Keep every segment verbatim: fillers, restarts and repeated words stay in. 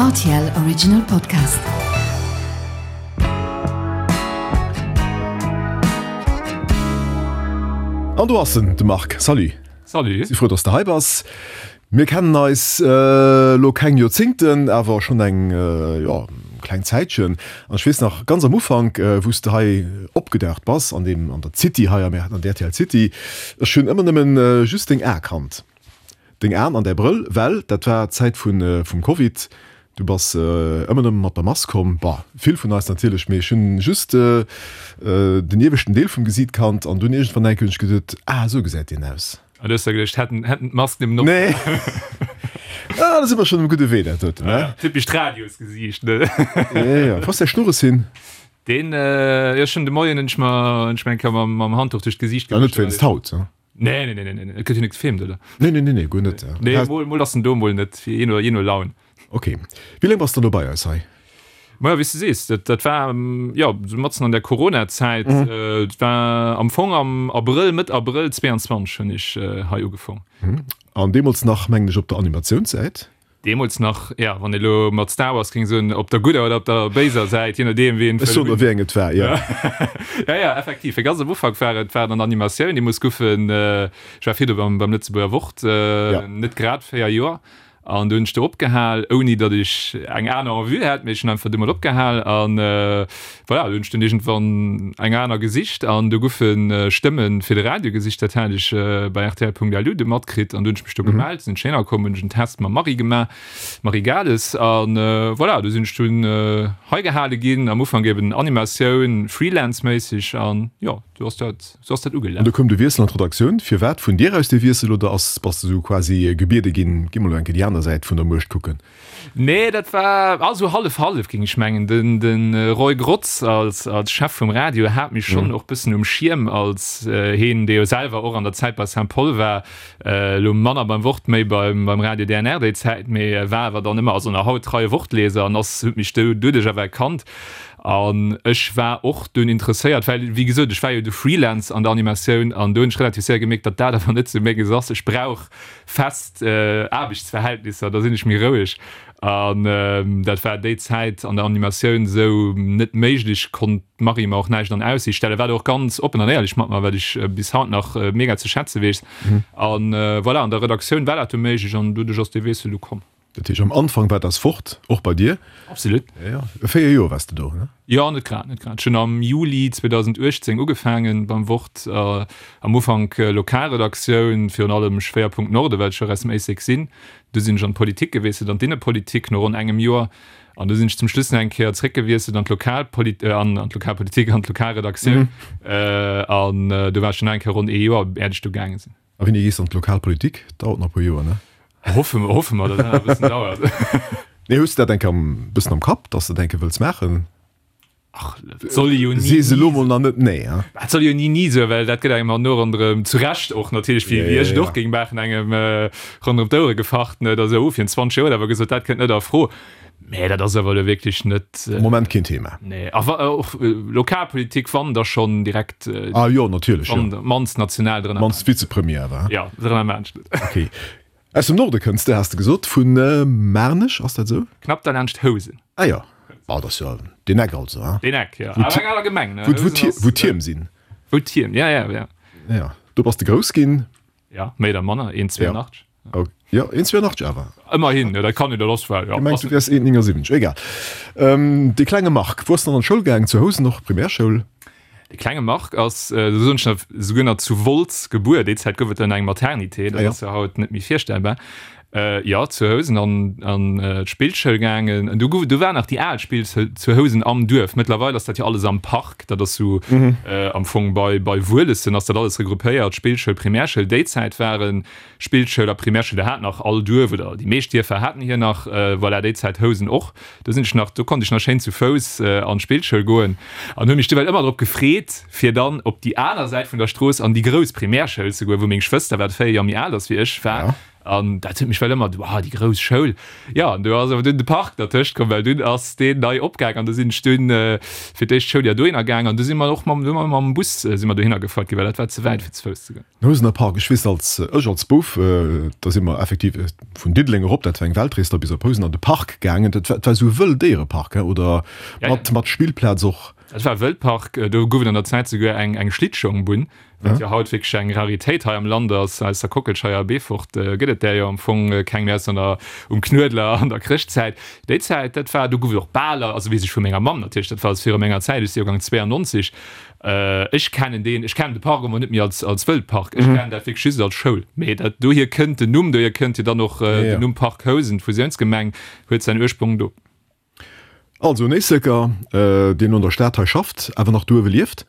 R T L Original Podcast. An do ass en, de Marc. Salut. Salut. Si frou, dass de hei bass. Mir kennen eis elo keng Joerzéngten, awer schonn eng, jo, kleng Zäitchen. An ech weess nach ganz am Ufank, wou s de hei opgedaucht bass an deem, an der City hei am, an der R T L City, ech hunn ëmmer nëmmen just deng Ae kannt. Deng Aen an däi Brëll, well dat war d'Zäit vun, vum Covid. Du bass ëmmer nëmme mat der Mask komm. Bah, vill vun eis natierlech, mee ech hunn just den ieweschten Deel vum Gesiit kannt an dunn iergendwann eng Kéier hunn ech geduet, ah, esou gesäit deen aus. An du hues der geduecht, hätten, hätten d'Mask nëmmen op. Nee. Ah, da si mer schonn um gudde Wee, dat doten, ne? Typescht Radiosgesiicht, ne? Ja, ja. Wou ass däi Schnurres hin? Deen, jo, schonn de Moien hunn ech mer, hunn ech mer eng Kéier mam, mam Handduch duerch d'Gesiicht Ja, net wéinst haut, ne? Nee, nee, nee, nee, nee, et gëtt jo net gefilmt, oder? Nee, nee, nee, nee, guer net. Nee, mol, mol ass en do, mol net, jee no, jee no Laun. Ok. Wéi laang bass de elo bei eis hei? Maja, wéi s de sees, dat, dat war, jo, sou matzen an der Corona-Zäit. Et war am Fong am Abrëll, Mëtt Abrëll zwee an zwanzeg hunn ech hei ugefong. An deemools nach, mengen ech, op der Animatiounssäit? Deemools nach, ja, wann ee lo mat Star Wars géing soen, op der gudder oder op der béiser Säit, je nodeem, wien Ech soen der, wéi eng et war, jo. Ja, ja, effektiv. Fir ganz am Ufank war et, war et an der Animatioun. Deemools goufen, ech war virdu beim, beim Lëtzebuerger Wort, net grad véier Joer. An du hunn ech do opgehal, ouni datt ech eng aner en vue hat, mee ech hunn einfach du mol opgehal an voilà, du hunn ech dunn iergendwann eng aner gesicht an do goufe Stëmme fir de Radio gesicht. Dat hat ech bei rtl Punkt L U du matkritt an du hunn ech mech do gemellt, sinn ech hinner komm, hunn ech en Test mam Marie gemaach, Marie Gales, an voilà, du sinn ech dunn hei gehale ginn, am Ufank eben Animatioun, freelance-méisseg an jo. Du ass dat, sou ass dat An ugelaf. du koum de Wiessel an d'Redaktioun. Firwat vun dir aus dee Wiessel oder ass, bass de sou quasi gebiede ginn, gi mol elo eng Kéier déi aner Säit vun der Muecht kucken? Nee, dat war also hallef hallef, géing ech mengen. Den, de Roy Grotz als, als Chef vum Radio hat mech schonn och bëssen um Schierm als heen, dee jo selwer och an der Zäit bei Saint-Paul war, elo manner beim Wort, méi beim, beim Radio D N R déi Zäit, mee war awer dann ëmmer, also nach haut treie Wortleser an ass, huet mech do doduerch awer erkannt. An ech war och dunn interesséiert, well, wéi gesot, ech war jo du Freelance an der Animatioun an do hunn ech relativ séier gemierkt, datt dat awer net sou menges ass. Ech brauch fest Aarbechtsverhältnisser, da sinn ech méi roueg. An dat war déi Zäit an der Animatioun esou net méiglech, konnt d'Marie mer och näischt an Aussiicht stellen, war do och ganz oppen an éierlech mat mer, wat ech bis haut nach mega ze schätze weess. An voilà, an der Redaktioun war dat du méiglech an doduerch ass dee Wiessel du komm. Dat heescht, am Anfang war das Wort och bei dir? Absolut. Ja, ja. Véier Joer waars de do, ne? Jo, net grad, net grad. Ech hunn am Juli zweedausendachtzéng ugefaangen beim Wort, am Ufank Lokalredaktioun, virun allem Schwéierpunkt Norde, well ech jo och aus dem Éislek sinn. Du sinn ech an d'Politik gewiesselt, an d'Innepolitik no ronn engem Joer. An du sinn ech zum Schluss nach eng Kéier zréckgewiesselt an d'Lokalpolit-, an d'Lokalpolitik, an d'Lokalredaktioun. An do war ech dann nach eng Kéier ronn ee Joer, äert ech du gaange sinn. A wéini gees de an d'Lokalpolitik? Dauert nach e puer Joer, ne? Hoffe mer, hoffe mer, datt dat nach e bëssen dauert. Nee, hues de dat eng Kéier am bëssen am Kapp, datt s de dat eng Kéier wëlls maachen? Ach, dat soll ee jo ni Sees ni elo mol nach net nee, hein? Dat soll ee jo ni ni soen, well dat gëtt engem herno ronderëm, zu Recht och natierlech, wéi wéi ech et och géing maachen, engem ronderëm d'Ouere gefacht, ne, da sou, oh, virun zwanzeg Joer huet awer gesot, dat kënnt net a Fro. Mä dat ass awer elo wierklech net. Am Moment keen Thema. Nee, a wa och Lokalpolitik, wann da schonn direkt. Ah jo, natierlech, jo. Wann mannst national drënner. Mannst Vizepremier awer, hein? Jo, drënner maanscht net. Okay. Aus dem Norde kënns de, has de gesot, vu Maarnech, ass dat esou? Knapp derlaanscht Housen. Ah jo, ah dat ass jo deen Eck also, hein? Deen Eck, jo. Awer eng aner Gemeng, ne? Wou d'Tierm sinn. Wou d'Tierm, ja, ja, ja. Ja, do bass de grouss ginn. Ja, méi oder manner, een zwee an achtzeg. Jo, een zwee an achtzeg awer. Ëmmerhin, jo, dat kann jo da lass war, jo. Gemengt, du wäers een néngasiwwenzeg, egal. Dee klenge Marc, wou ass en dann an d'Schoul gaangen? Zu Housen och, Primärschoul? De klenge Marc ass, do soen ech nach, souguer nach zu Wolz gebuer. Déi Zäit gouf et dann eng Maternité, dat ass jo haut net méi virstellbar. Jo, zu Housen an an d'Spillschoul gaangen. An du gouf, du war nach déi al Spillschoul zu Housen am Duerf. Mëttlerweil ass dat jo alles am Park. Dat ass sou am Fong bei bei Wuelessen ass dat alles regroupéiert, Spillschoul, Primärschoul. Déi Zäit waren Spillschoul a Primärschoul, do hat nach all Duerf oder déi meescht Dierfer haten hir nach, voilà, déi Zäit Housen och. Do sinn ech nach, do konnt ech nach schéin zu Fouss an d'Spillschoul goen an hu mech duewell ëmmer drop gefreet, fir dann op déi aner Säit vun der Strooss an déi grouss Primärschoul ze goen, wou meng Schwëster, wat véier Joer méi al ass wéi ech, war. An dat huet mech well ëmmer, wow, déi grouss Schoul. Jo, an do ass awer dunn de Park dertëscht komm, well dunn ass deen nei opgaang an do sinn ech dunn fir d'éischt Schouljoer dohinner gaang an du si mer och mam, du mam Bus si mer dohinner gefuert ginn, well dat war ze wäit fir ze Fouss ze goen. Den Housener Park, ech weess als, ech als Bouf, da si mer effektiv vun Diddeleng erop, dat war eng Weltrees, da bis op Housen an de Park gaangen. Dat war, dat war esou e Wëlldéierepark, he, oder mat, mat Spillplaz och. Dat war e Wëldpark, do gouf et an der Zäit souguer eng, eng Schlittschongbunn. Wat jo haut wierklech eng Raritéit hei am Land ass, aus der Kockelscheier a Beefort gëtt et där jo am Fong keng méi, ausser an der, um Knuedler an der Chrëschtzäit. Déi Zäit, dat war, do gouf et och Baler, also weess ech vu menger Mamm natierlech, dat war alles viru menger Zäit, ech si Joergang zweeannonzeg. Ech kennen deen, ech kennen de Park emol net méi als, als Wëldpark, ech kennen dat wierklech just als Schoul. Mee dat, dohier kënnt den Numm, dohier kënnt jo dann och den Numm Park Housen, d'Fusiounsgemeng huet säin Ursprong do. Also en Éisleker, deen an der Stad hei schafft, awer nach do uewe lieft?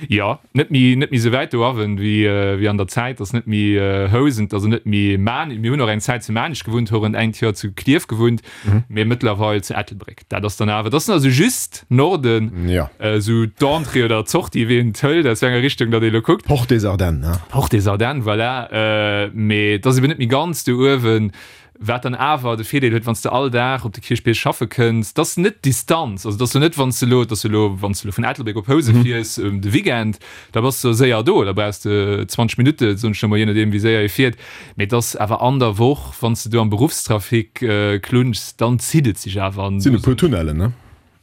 Jo, net méi, net méi sou wäit do awen wéi, wéi an der Zäit. Ass net méi Housen, also net méi Maarnich. Mir hunn och eng Zäit zu Maarnich gewunnt, hu rënn engt Joer zu Klierf gewunnt, mee mëttlerweil zu Ettelbréck. Dat ass dann awer, dat ass also just Norden, esou d'Entrée oder d'Sortie, wéi een et hëlt, aus wéi enger Richtung datt ee lo kuckt. Porte des Ardennes, ne? Porte des Ardennes, voilà. Mee et ass eben net méi ganz do uewen. Wat dann awer de Virdeel huet, wann s de all Dag op de Kierchbierg schaffe kënns, 't ass net d'Distanz, also 't ass jo net, wann s de elo, 't ass jo elo, wann s de elo vun Ettelbréck op Housen fiers de Weekend, da bass de séier do, da brauchs de zwanzeg Minutte, soen ech elo mol, je nodeem wéi séier ee fiert. Mee 't ass awer an der Woch, wann s de do am Beruffstrafic klunschs, dann zitt et sech awer. Et sinn e puer Tunnellen, ne?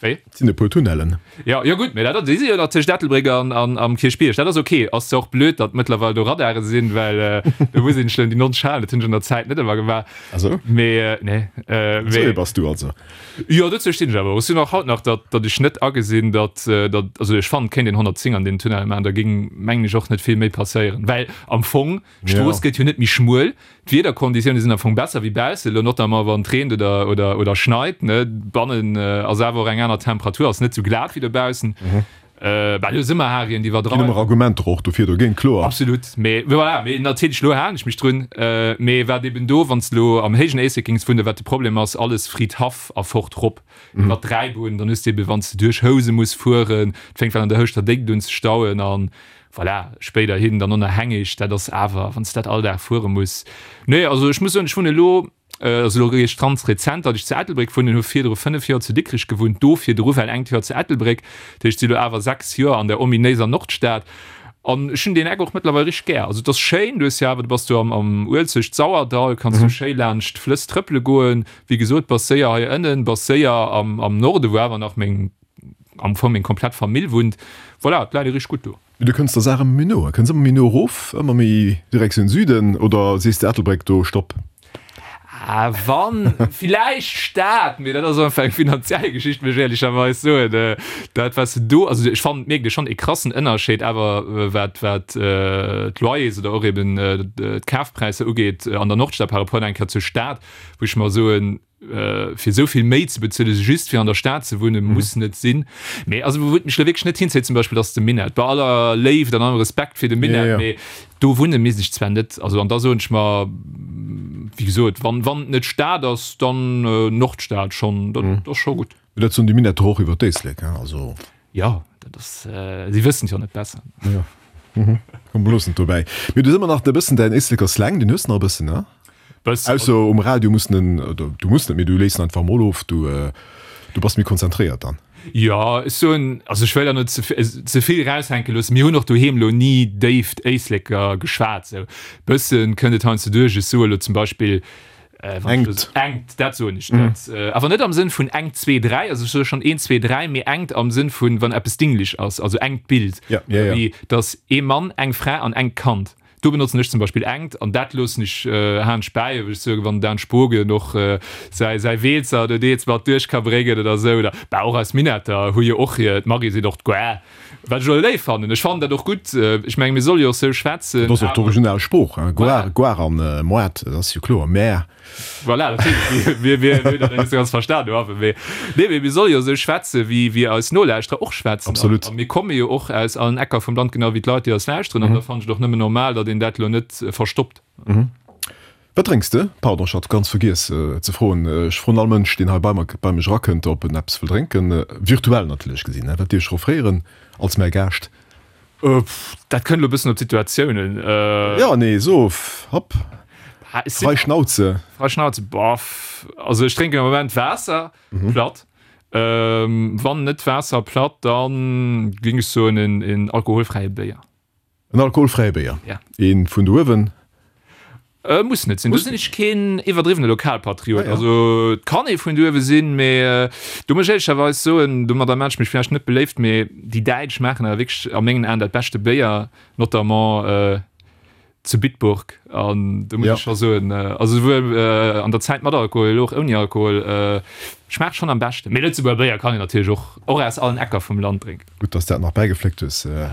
Wéi? Et sinn e puer Tunnellen. Jo, jo gutt, mee dat ass, déi si jo nach tëscht Ettelbréck an, an am Kierchbierg. Dat ass ok. Ass zwar och blöd, datt mëttlerweil do Radare sinn, well do muss een schlëmm déi nonzeg halen. Dat hunn ech an der Zäit net ëmmer gemaach. Ah sou? Mee nee. Esou ee bass du also. Jo, dozou stinn ech awer och. Ech sinn och haut nach, datt, datt ech net agesinn, datt, datt, also ech fannen, et kéint een honnertzéng an deenen Tunnelle maachen, da géing, mengen ech, och net vill méi passéieren. Well am Fong, d'Strooss gëtt jo net méi schmuel. D'Wiederkonditioune sinn am Fong besser wéi bausse, elo notamment wann et reent oder, oder, oder schneit, ne. Bannen ass awer och eng aner Temperatur, ass net sou glat wéi dobaussen. Bah, elo si mer Harien, déi Ginn ëmmer Argumenter och dofir, dogéint, kloer. Absolut, mee voilà, mee natierlech elo halen ech mech drun. Mee wat eben do, wann s de elo am héijen Éislek géings wunnen, wat de Problem ass, alles Fridhaff a fort rop iwwer d'Dräibunn, dann hues de eben, wann s de duerch Housen muss fueren, et fänkt well an der Houschter Déckt un ze stauen an Voilà, spéiderhin dann onerhängeg, dat ass awer, wann s de dat all Dag fuere muss. Nee, also ech muss soen, ech wunnen elo, also elo eréischt ganz rezent, datt ech zu Ettelbréck wunnen, hu virdru fënnef Joer zu Dikrech gewunnt, do virdru well engt Joer zu Ettelbréck. Dat heescht, si elo awer sechs Joer an der ominéiser Nordstad. An ech hunn deen Eck och mëttlerweil richteg gär. Also et ass schéin, du hues jo awer, du bass do am am Uelzecht-Sauerdall, kanns du schéi laanscht d'Flëss trëppele goen. Wéi gesot, bass séier hei ënnen, bass séier am am Norde, wou awer nach meng, am Fong meng komplett Famill wunnt. Voilà, et läit ee richteg gutt do. Mee du kënns der Saach ëmmer méi no, kënns ëmmer méi no erof, ëmmer méi Direktioun Süden, oder sees de Ettelbréck, do Stopp? Ah, wann, villäicht Stad, mee dat ass einfach eng finanziell Geschicht, muss ech éierlecherweis soen. Dat, wat s de do, also ech fannen, et mierkt ee schonn ee krassen Ënnerscheed awer, wat, wat d'Loyers oder och eben d'Kafpräisser ugeet an der Nordstad par rapport eng Kéier zur Stad, wou ech mer soen, fir esou vill méi ze bezuelen, just fir an der Stad ze wunnen, muss net sinn. Mee also wou et mech elo wierklech net hinzéit zum Beispill, ass de Minett. Bei aller Léift an allem Respekt fir de Minett, mee do wunne misst ech zwar net. Also an da soen ech mer, wéi gesot, wann wann et net Stad ass, dann Nordstad schonn, dat ass scho gutt. Mee dat soen déi Minetter och iwwer d'Éislek, hein, also. Jo, dat ass, si wëssen et jo net besser. Jo, komm, mir loossen et dobäi. Mee du hues ëmmer nach e bëssen däin Éisleker Slang, deen hues de nach e bëssen, ne? Ausser um Radio muss en, oder du muss net, mee du léiss en einfach mol of, du du bass méi konzentréiert dann. Jo, ech soen, also ech wëll da net ze vill eraushänke loossen, mir hunn och doheem elo ni déift Éisleker geschwat, sou bëssen kënnt et heiansdo duerch. Ech soe lo zum Beispill, wann ech elo, engt, dat soen ech net, awer net am Sënn vun engt, zwee, dräi, also ech soe schonn eent, zwee, dräi, mee engt am Sënn vun wann eppes dinglech ass, also engt Bild, wéi dass ee Mann, eng Fra an engt Kand. Do benotzen ech zum Beispill engt an dat loossen ech Haansch bäi, wéi ech soen, wann den Dan Spogen och säi säi Weelzer do deels mat duerch ka bréngen oder esou. Oder bah och eis Minetter hu jo och hir, d'Marie seet och d'Guar, wat ech och léif fannen. Ech fannen dat och gutt. Ech mengen, mir solle jo och sou schwätzen. Dat ass och d'original Sprooch, hein, Guar, Guar an Moart, dat ass jo kloer, Mär. Voilà, natierlech, mir, mir hunn dat net esou ganz verstan do awer, mee nee, mee mir solle jo esou schwätze wéi, wéi eis Nolauschterer och schwätzen. Absolut. A mir komme jo och aus allen Ecker vum Land, genau wéi d'Leit, déi eis lauschteren. An da fannen ech et och nëmmen normal, datt een dat elo net verstoppt. Wat drénks de? Pardon, ech hat ganz vergiess ze froen. Ech froen all Mënsch, deen hei bei mer, bei mech erakënnt, ob en eppes wëll drénken. Virtuell natierlech gesinn, wat dierf ech offréieren als mäi Gaascht? Dat kënnt elo e bëssen op d'Situatioun un. Jo, nee, so, hopp. Ah, ech sinn Frei Schnauze. Frei Schnauze, boah, also ech drénken am Moment Waasser, platt. Ähm, wann net Waasser platt, dann géing ech soen en, en alkoholfräie Béier. En alkoholfräie Béier? Ja. Een vun do uewen? Äh, muss net sinn. Do sinn ech keen iwwerdriwwene Lokalpatriot. Ah, ja. Also et kann ee vun do uewe sinn, mee äh, do muss ech éierlecherweis soen, domadder maan ech mech vläicht net beléift, mee déi Däitsch maachen awer wierklech a mengen Aen dat beschte Béier, notamment äh, zu Bitburg. An do muss Ja. ech scho soen, äh, also souwuel äh, an der Zäit mat Alkohol, elo och ouni Alkohol, äh, schmaacht schonn am beschten. Mee Lëtzebuerger Béier kann een natierlech och, och aus allen Ecker vum Land drénken. Gutt, dass de dat nach bäigefléckt hues. Äh,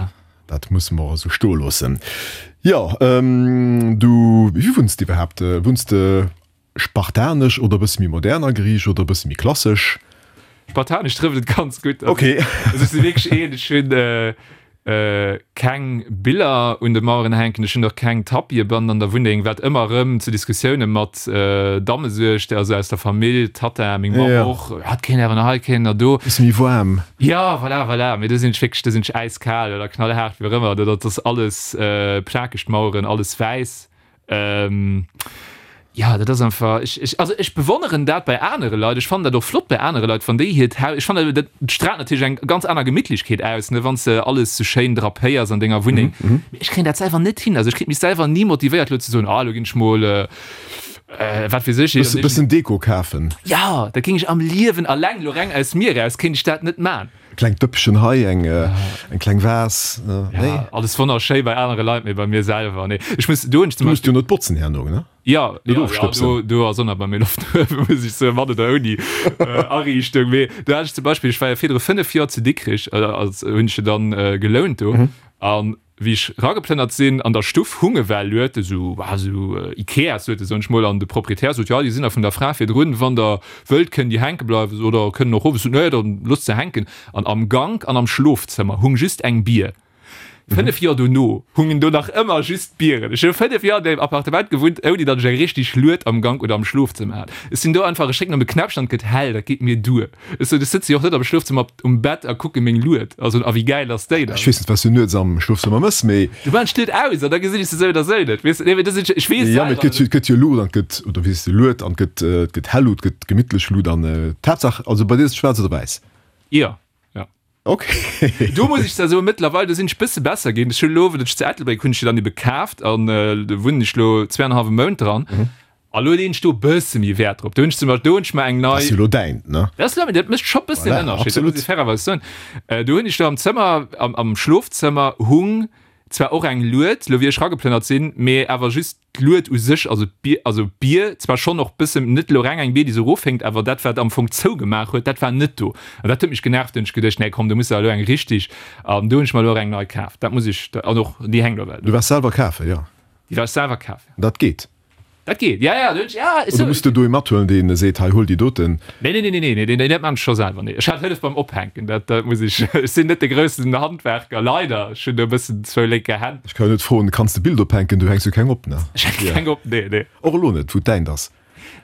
Dat musse mer esou stoe loossen. Jo, du, wéi wunns de iwwerhaapt? Wunns de spartanesch oder e bësse méi modern ageriicht oder e bësse méi klassesch? Spartanesch trëfft et ganz gutt. Ok. Also ech si wierklech een, ech hunn keng Biller un de Maueren hänken, ech hunn och keng Tapie bannen an der Wunneng, wat ëmmer erëm zu Diskussioune mat Damme suergt, also aus der Famill, Tatta, meng Mamm och, ja et kéint awer nach hei, kéint nach do. Bësse méi waarm. Jo, voilà, voilà, mee do sinn ech wierklech, do sinn ech äiskal oder knallhaart, wéi och ëmmer, dat ass alles plakeg, d'Maueren, alles wäiss. Jo, dat ass einfach, ech, ech, also ech bewonneren dat bei anere Leit, ech fannen dat och flott bei anere Leit, wann déi hiert Haus, ech fannen dat straalt natierlech eng ganz aner Gemittlechkeet aus, ne, wann s de alles sou schéin drapéiers an denger Wunneng, mee ech kréien dat selwer net hin, also ech kritt mech selwer ni motivéiert elo ze soen, ah elo ginn ech mol, wat weess ech, Bësse, bëssen Deko kafen. Jo, dat géing ech am Liewen, alleng elo reng aus mir eraus kéint ech dat net man. E klengt Dëppchen hei, eng, eng kleng Vas, nee? Ja, alles wonnerschéi bei anere Leit, mee bei mir selwer, nee. Ech muss, do hunn ech zum Du muss Beispill. jo net botzen herno, ne? Ja, Net ja, ja, ofstëbsen. do, do ass och nach bei mir Loft no uewen, muss ech soen, mat oder ouni Ariichtung. Mee do hat ech zum Beispill, ech war jo virdru fënnef Joer zu Dikrich, als hunn ech jo dann gelount do, an wéi ech rageplënnert sinn, an der Stuff hunge well Luete, sou, ah, sou Ikeas-Luete, soen ech mol, an de Proprietär sot, jo, déi sinn nach vun der Fra virdrun, wann der wëllt, kënnen déi hänke bleiwen oder kënnen och erof. Ech sot, nee, dann loosst se hänken. An am Gank an am Schlofzëmmer hung just eng Bier. Fënnef Joer dono hungen do nach ëmmer just Bieren. Ech hu fënnef Joer an deem Appartement gewunnt, ouni datt ech eng richteg Lued am Gank oder am Schlofzëmmer hat. Ech sinn do einfach, ech drécken op e Knäppchen an et gëtt hell, dat geet mir duer. Ech sot, ech sëtze jo och net am Schlofzëmmer op um Bett a kucke meng Lued a soen, a wéi gäil ass déi dann? Ech weess net, wat s du nuets am Schlofzëmmer mëss, mee. Du maachen ech d'Lued aus an da gesinn ech se sou oder sou net, weess de. Nee, mee dat sinn, ech weess Jo, mee et selwer, gëtt jo, et gëtt jo Luut an et gëtt, oder wéi sees de, Lued an et gëtt, et gëtt hell Luut, et gëtt gemittlech Luut an d'Haaptsaach, also bei dir ass et schwaarz oder wäiss? Jo. Ja. Ok. Do muss ech zwar soen, mëttlerweil, do sinn ech bësse besser ginn. Ech hunn elo, wou ech zu Ettelbréck hunn ech jo dann ebe kaaft an do wunnen ech elo zwee an e hallwe Mount dran. A lo leeën ech do e bësse méi Wäert drop. Do hunn ech zum Beispill, do hunn ech mer eng Dat nei. ass jo elo däint, ne? Dat ass elo mäin, dat mécht scho bëssen en Voilà, Ënnerscheed, dat muss absolut. ech fairerweis soen. Do hunn ech do am Zëmmer, am, am Schlofzëmmer hung zwar och eng Lued, lo wéi ech rageplënnert sinn, mee awer just d'Lued u sech, also d'Bier, also d'Bier zwar schonn och bëssen, net elo reng eng Bier, déi sou erofhänkt, awer dat wat am Fong zougemaach huet, dat war net do. An dat huet mech genervt, do hunn ech geduecht, nee komm, do muss der elo eng richtig, an do hunn ech mer elo och eng nei kaaft, dat muss ech, an och déi hänkt elo well Du do. waars selwer kafen, jo? Déi war ech selwer kafen, jo. Dat geet? Dat geet, ja, ja, do hunn ech, ja, ech Oder sou. muss de do ee mathuelen, deen seet, hei huel déi doten? Nee, nee, nee, nee, nee, nee, nee, dat maan ech scho selwer, nee. Ech hat Hëllef beim Ophänken, dat, dat muss ech, ech sinn net de groussen Handwerker, leider, ech hunn do e bëssen zwou lénke Hänn. Ech ka jo net froen, kanns de Bild ophänken, du hänks jo keng op, ne? Ech hänke keng op, nee, nee. Och elo net, wou d'däint ass?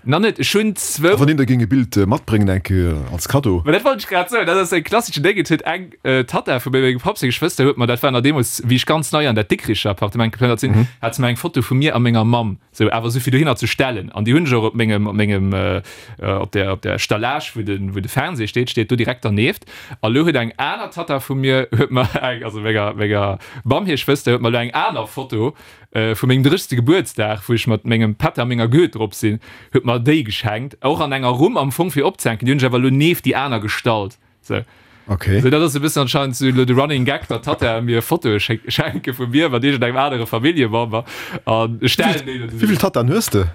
Nach net, ech hunn zwou. A wann een der géing e Bild matbréngen, eng Kéier als Kaddo? Ma dat wollt ech grad soen, dat ass e klasseschen Déng, et huet eng Tatta vu mengem Papp seng Geschwëster huet mer, dat war nach deemools, wéi ech ganz nei an dat Dikricher Appartement geplënnert sinn, hat se mer eng Foto vu mir a menger Mamm Sou, awer sou fir dohinner ze stellen. An déi hunn ech och op mengem, op mengem, op der, op der Stallage, wou de, wou de Fernseh steet, steet do direkt dernieft. A lo huet eng aner Tatta vu mir, huet mer eng, also menger, menger Mamm hir Schwëster, huet mer lo eng aner Foto vu mengem dréchste Gebuertsdag, wou ech mat mengem Pätter a menger Goet drop sinn, huet mer déi geschenkt. Och an enger Rumm am Fong fir opzehänken. Déi hunn ech awer lo nieft déi aner gestallt. Sou. Okay. So, dat ass e bëssen anscheinend sou elo de Running Gag, datt Tattae mir Fotoe schenke vu mir mat iergendengem anere Familljemember an ech stellen déi dann Wéi vill Tattaen hues de?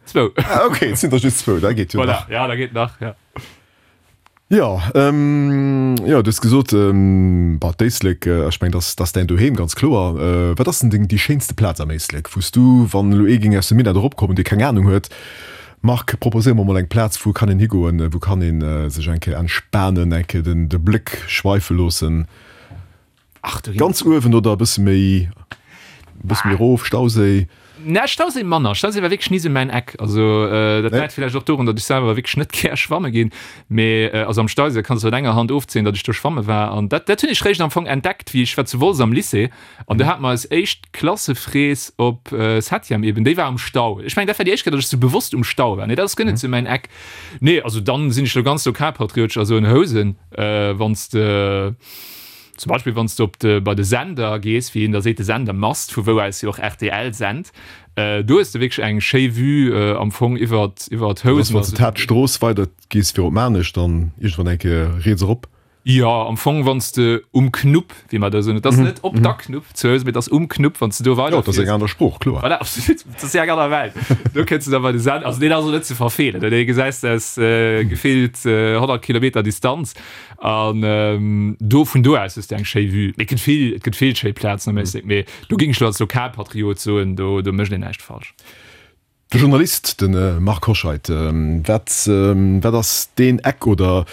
Zwou. Ah, okay, et sinn der just zwou, dat geet jo Voilà, nach. ja, dat geet nach, ja. Jo, ähm, jo, du hues gesot, ähm, bah, d'Éislek, ech mengen, dat ass däin Doheem, ganz kloer. Wat ass denn deng, déi schéinste Plaz am Éislek, wou s du, wann elo ee géing aus dem Minett eropkommen, dee keng Anung huet, Marc, proposéier mer mol eng Plaz, wou kann een higoen, wou kann een sech eng Kéier entspanen, eng Kéier den de Bléck schweife loossen? Ach, do ginn Ganz uewen oder e bësse méi, e bësse méi erof, Stauséi? Na, Stauséi manner. Stauséi war wierklech ni sou mäin Eck. Also dat läit villäicht och dorun, datt ech selwer wierklech net gär schwamme ginn. Mee also am Stauséi kanns de mat enger Hand ofzielen, datt ech do schwamme war. An dat dat hunn ech réischt am Fong entdeckt, wéi ech war zu Wolz am Lycée an do hate mer eis éischt Klassefrees op Septième eben. Déi war am Stau. Ech mengen, dat war déi éischt Kéier, datt ech sou bewosst um Stau war. Nee, dat ass guer net sou mäin Eck. Nee, also dann sinn ech lo ganz lokalpatriotesch a soen Housen, wann s de. Zum Beispill wann s de op de, bei de Sender gees, wéi een da seet, de Sendermast, vu wou aus jo och rtl sent, do hues de wierklech eng schéi Vue am Fong iwwert, iwwert Dat ass, wann s de d'Haaptstrooss weider gees fir op Maarnech, dann iergendwann eng Kéier riets erop. Jo, am Fong wann s de um Knupp, wéi mer da soen, et ass net op der Knupp zu Housen, mee et ass um Knupp, wann s de do weider fiers. Jo, et ass eng aner Sprooch, kloer. Voilà, absolut, et ass eng aner Welt. Do kënns de da bei de Sender, also deen ass och net ze verfeelen, dee gesäis de aus gefillt honnert Kilometer Distanz. An do, vun do aus hues de eng schéi Vue. Mee et gëtt vill, et gëtt vill schéi Plazen am Éislek, mee do géing ech lo als Lokalpatriot soen, do, do mécht een näischt falsch. De Journalist, de Marc Hoscheid, wat, wat ass deen Eck oder,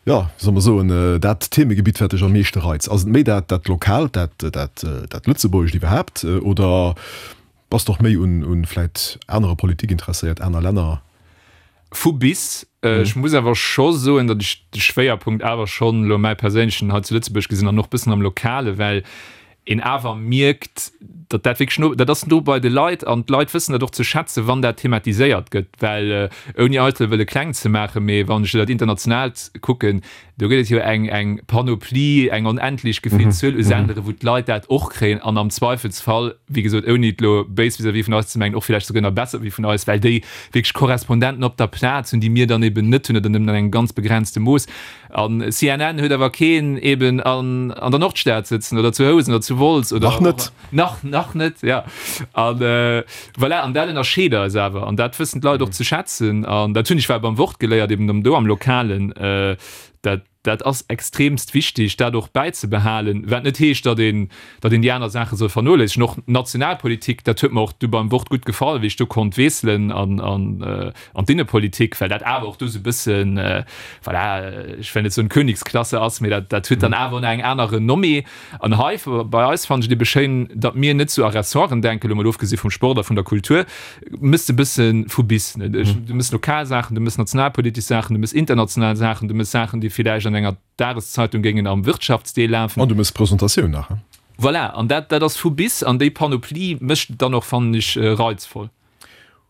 jo, wéi soll mer soen, dat Themegebitt, wat dech am meeschte reizt? Ass et méi dat, dat Lokaalt, dat, dat, dat Lëtzebuergescht iwwerhaapt oder bass de och méi un, un vläit anerer Politik interesséiert, aner Länner? Vu bis. Ech muss awer scho soen, datt ech de Schwéierpunkt awer schonn elo mäi perséinlechen hei zu Lëtzebuerg gesinn an och bëssen am Lokale, well een awer mierkt, datt dat wierklech no, dat ass no bei de Leit an d'Leit wëssen dat och ze schätzen, wann dat thematiséiert gëtt, well ouni eitel wëlle kleng ze maachen, mee wann ech dat Internationaalt kucken, Do gëtt et jo eng eng Panoplie, eng onendlech gefillt Zuel u Sendere wou d'Leit dat och kréien an am Zweifelsfall, wéi gesot, ouni et elo béis vis-à-vis vun eis ze mengen, och villäicht souguer nach besser wéi vun eis, well déi wierklech Korrespondenten op der Plaz hunn, déi mir dann eben net hunn oder nëmmen an engem ganz begrenzte Mooss. An C N N huet awer keen eben an an der Nordstad sëtzen oder zu Housen oder zu Wolz oder Nach net. Nach, nach net, ja. An voilà, an dat ënnerscheet eis awer an dat wëssen d'Leit och ze schätzen an dat hunn ech war beim Wort geléiert, eben do am Lokalen, Dat, dat ass extremst wichtig, dat och bäizebehalen, wat net heescht, datt een, datt een déi aner Saache soll vernoléissegen. Och d'Nationalpolitik, dat huet mer och du beim Wort gutt gefall, wéi ech do konnt wiesselen an, an, an d'Innepolitik, well dat awer och do esou e bëssen, voilà, ech wëll net soen Königsklasse ass, mee dat, dat huet dann awer och nach eng aner Renommée. An hei bei eis fannen ech et ebe schéin, datt mir net sou a Ressorten denken, elo mol ofgesi vum Sport a vun der Kultur, mëss de bësse vu bis, ne? Du mëss lokal Saachen, du mëss nationalpolitesch Saachen, du mëss international Saachen, du mëss Saachen, déi villäicht an enger Dageszeitung géingen am Wirtschaftsdeel lafen. An du mëss Presentatioun nach, he? Voilà, an dat, dat ass vu bis, an déi Panoplie mécht et dann och, fannen ech, reizvoll.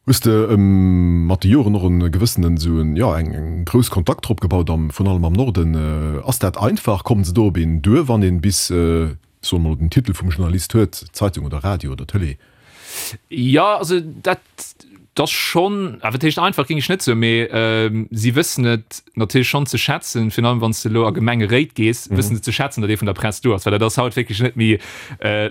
Hues de mat de Joren och e gewëssenen, esou en, jo, eng eng grouss Kontakttrupp gebaut am, vrun allem am Norden? Ass dat einfach? Kommen se do op een duer, wann een bis, soe mer elo, den Titel vum Journalist huet, Zeitung oder Radio oder Tëlee? Jo, also dat ass schonn, a wat heescht einfach, géing ech net soen, mee si wëssen et natierlech schonn ze schätzen, virun allem wann s de elo a Gemengeréit gees, wëssen se ze schätzen, datt ee vun der Press do ass, well dat ass haut wierklech net méi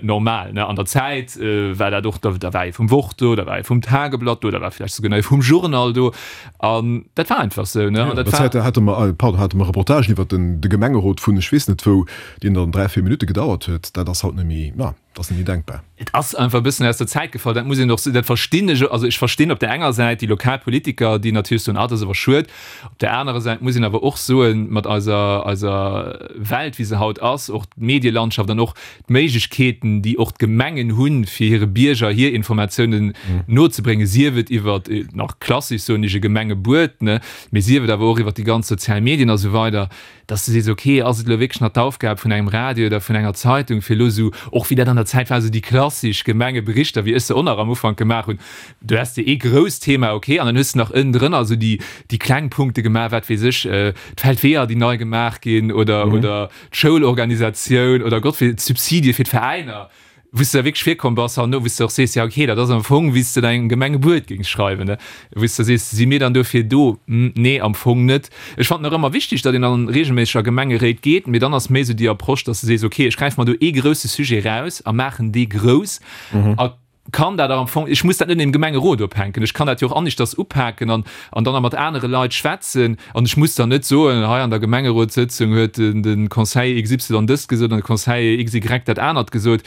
normal. An der Zäit war dat och, da war ee vum Wort do, da war ee vum Tageblatt do, da war vläicht souguer nach ee vum Journal do an dat war einfach esou. An der Zäit hate mer, pardon, hate mer Reportagen iwwer de Gemengerot vun ech weess net wou, deen dann dräi, véier Minutte gedauert huet. Dat ass haut net méi, na. Dat ass net méi denkbar. Et ass einfach e bëssen aus der Zäit gefall, dat muss een och, dat verstinn ech. Also ech verstinn op där enger Säit déi lokal Politiker, déi natierlech soen, ah, dat ass awer schued. Op där anerer Säit muss een awer och soen, mat eiser, eiser Welt, wéi se haut ass, och d'Medielandschaft an och d'Méiglechkeeten, déi och d'Gemengen hunn, fir hire Bierger hir Informatiounen nozebréngen, sief et iwwer, nach klassesch soen ech, e Gemengebuet, ne, mee sief et awer och iwwer déi ganz sozial Medien a sou weider, dass de sees, ok, ass et elo wierklech nach d'Aufgab vun engem Radio oder vun enger Zeitung, fir elo esou, och wéi dat an der Zäit war, esou déi klassesch Gemengeberichter, wéi ech se och nach am Ufank gemaach hunn, du häss de ee grousst Thema, ok, an dann hues de nach ënnendrënner esou déi, déi kleng Punkte gemaach, wat weess ech, d'Feldweeër, déi nei gemaach ginn oder, oder d'Schoulorganisatioun oder Gott wee, d'Subsidie fir d'Veräiner. Wou s de da wierklech virkomm bass herno, wou s de och sees, jo okay, dat ass am Fong, wéi s de dengem Gemengebuet géings schreiwen, ne? Wou s de sees, si mir dann dofir do? Hm, nee, am Fong net. Ech fannen och ëmmer wichteg, datt een dann reegelméisseg a Gemengeréit geet, mee dann ass méi esou déi Approche, datt s de sees, okay, ech gräife mer do ee grousse Sujet raus a maachen dee grouss a kann dat am Fong, ech muss dat net im Gemengerot ophänken, ech kann dat jo och aneschters upaken an an dann mat anere Leit schwätzen an ech muss dann net soen, hei an der Gemengerotssëtzung huet den de Conseiller X Y dëst gesot an de Conseiller X Y dat anert gesot.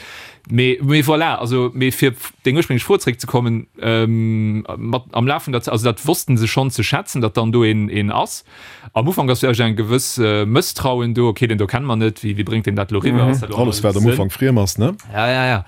Mee mee voilà, also mee fir op deng ursprénglech Fro zréckzekommen, mat am Laf vun der Zäit, also dat wossten se schonn ze schätzen, datt dann do een een ass. Am Ufank ass vläicht eng gewëss Mësstrauen do, okay, deen do kenne mer net, wéi wéi bréngt deen dat elo eriwwer, ass dat elo Alles wat am Ufank friem ass, ne? Ja, ja, ja.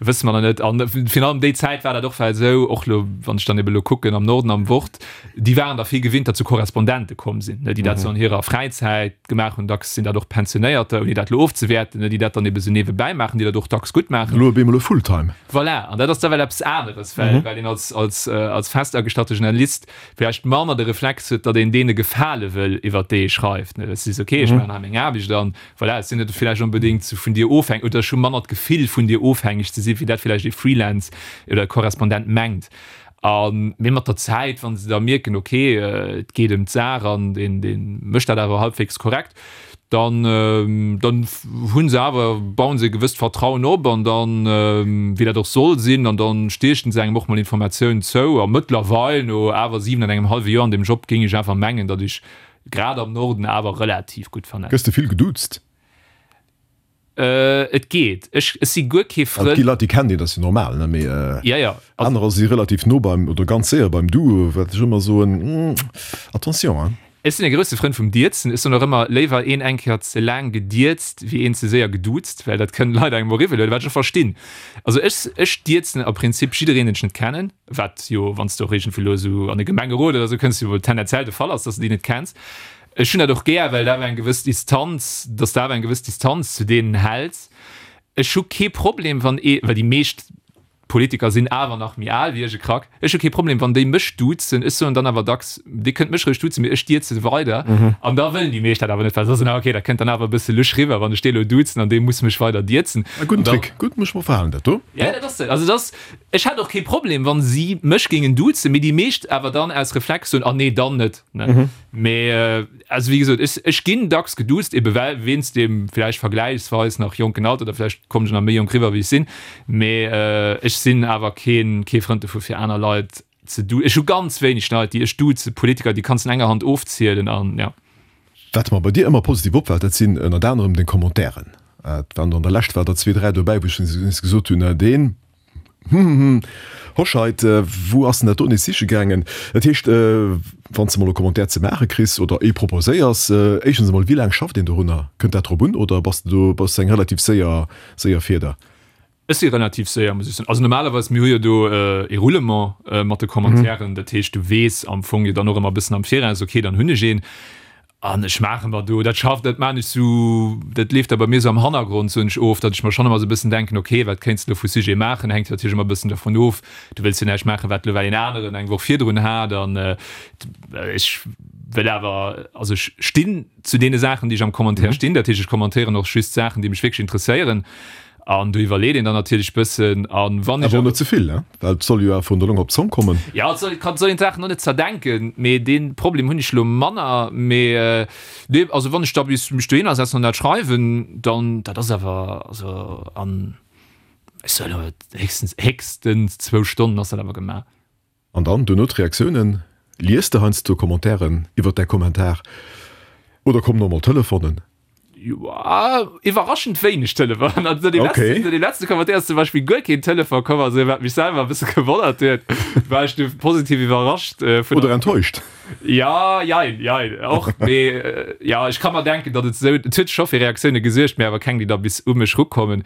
Wësse mer nach net. An Virun allem déi Zäit war dat och well esou, och elo wann ech dann ebe lo kucken am Norden am Wort, déi waren der vill gewinnt, datt sou Korrespondente komm sinn, ne, déi dat sou an hirer Fräizäit gemaach hunn. Dacks sinn dat och Pensionéierter, ouni dat elo ofzewäerten, ne, déi dat dann ebe sou niewebäi maachen, déi dat och dacks gutt maachen. Elo op eemol e Fulltime. Voilà, an dat ass da well eppes aneres, well well een als als als festagestalte Journalist vläicht manner de Reflex huet, datt een deene gefale wëll, iwwert déi ee schreift, ne. Dass du sees, okay, ech maachen hei meng Aarbecht an voilà, ech sinn net vläicht onbedéngt sou vun dir ofhängeg oder ech hu manner d'Gefill, vun dir ofhängeg ze sinn, wéi dat vläicht ee Freelance oder e Korrespondent mengt. A mee mat der Zäit, wa se da mierken, okay, et geet ëm d'Saach an deen, dee mécht dat awer halbwegs korrekt, dann, dann hu se awer, bauen se e gewësst Vertrauen op an dann, wéi dat och soll sinn, an dann stiechen se engem och mol Informatiounen zou. A mëttlerweil, no awer siwen an engem hallwe Joer an deem Job, géing ech awer mengen, datt ech grad am Norden awer relativ gutt vernetzt. Gëss de vill geduuzt? Et geet. Ech si guer kee Frënd. Et gi Leit, déi kennen een, dat ass jo normal, ne? Mee anerer si relativ no beim oder ganz séier beim Du, wat ech ëmmer soen, Attention, hein. Ech sinn e grousse Frënd vum Dierzen. Ech soen och ëmmer, léiwer een eng Kéier ze laang gedierzt, wéi een ze séier geduuzt, well dat kënnen Leit engem och iwwel huelen, wat ech och verstinn. Also ech, ech dierzen a Prinzip jiddereen, deen ech net kennen, wat jo, wann s de och iergendwou elo esou an e Gemengerot oder esou kënns, jo wuel tendenziell de Fall ass, dass de déi net kenns. Ech hunn dat och gär, well et awer eng gewëss Distanz, dass de awer eng gewëss Distanz zu deenen häls. Ech hu kee Problem, wann ee, well déi meescht Politiker sinn awer nach méi al wéi ech, e Krack, ech hu kee Problem, wann déi mech duzen. Ech soen dann awer dacks, Dir kënnt mech roueg duzen, mee ech dierze weider. An da wëllen déi meescht dat awer net, well se soen, ah okay, dat kënnt dann awer e bësse lusch riwwer, wann ech dee elo duzen an dee muss mech weider dierzen. E gudden Trick, gutt, muss ech mer verhalen dat do. Jo, dat ass et. Also dat ass, ech hätt och kee Problem, wann si mech géingen duzen, mee déi meescht awer dann aus Reflex soen, ah nee, dann net. Ne? Mee also wéi gesot, ech, ech ginn dacks geduuzt, ebe well wéinst deem vläicht vergläichsweis nach jonken Alter, oder vläicht kommen ech nach méi jonk riwwer wéi ech sinn, mee ech sinn awer keen, kee Frënd dovu fir aner Leit ze du. Ech hu ganz wéineg Leit, déi ech duzen, Politiker, déi kanns de an enger Hand ofzielen an ja. Wat mer bei dir ëmmer positiv opfält, dat sinn ënnert anerem deng Commentairen. Et waren der an der Lescht war der zwee, dräi dobäi, wou ech nees gesot hunn, deen Hm, Hoscheit, wou ass en dat do nees siche gaangen? Dat heescht, wann s de mol e Commentaire ze maache kriss oder ee proposéiers, éischtens emol, wéi laang schafft een dorunner? Kënnt dat drop un oder bass de do, bass de eng relativ séier, séier Fieder? Ech si relativ séier, muss ech soen. Also normalerweis, mir hu jo do ee Roulement mat de Commentairen, dat heescht, du weess am Fong jo dann och ëmmer e bëssen am Viraus, okay, dann hunn ech een. An ech maache mer do, dat schafft, dat maan ech sou, dat leeft da bei mir sou am Hannergrond, soen ech, of, datt ech mer schonn ëmmer sou e bëssen denken, ok, wat kéints de elo vu Sujet maachen, hänkt jo natierlech ëmmer e bëssen dervun of, du wëlls jo näischt maachen, wat elo well een aneren eng Woch virdrun hat. An ech wëll awer, also ech stinn zu deene Saachen, déi ech am Commentaire stinn, dat heescht, ech commentéieren och just Saachen, déi mech wierklech interesséieren. An do iwwerleet een dann natierlech bëssen. An wann ech Awer och net ze vill, well et soll jo awer vun der Long op d'Zong kommen. Jo, et soll, kann, soll een d'Saachen och net zerdenken, mee dee Problem hunn ech elo manner. Mee nee, also wann ech da bis mech dohinner setzen an dat schreiwen, dann, dat ass awer, also an, ech soen elo, héchstens, héchstens zwou Stonnen ass dat awer gemaach. An dann duerno d'Reaktiounen, Lies de heiansdo Commentairen iwwer däi Kommentar oder kommen och mol Telefonen? Iwwerraschend wéineg Telefonen. Also no deem letzte Commentaire ass zum Beispill guer keen Telefon komm, also wat mech selwer e bësse gewonnert huet, war ech du positiv iwwerrascht vun. Oder enttäuscht. Ja, jein, jein, och, mee ja, ech ka mer denken, datt et esou, et huet scho fir Reaktioune gesuergt, mee awer keng, déi da bis u mech rukommen.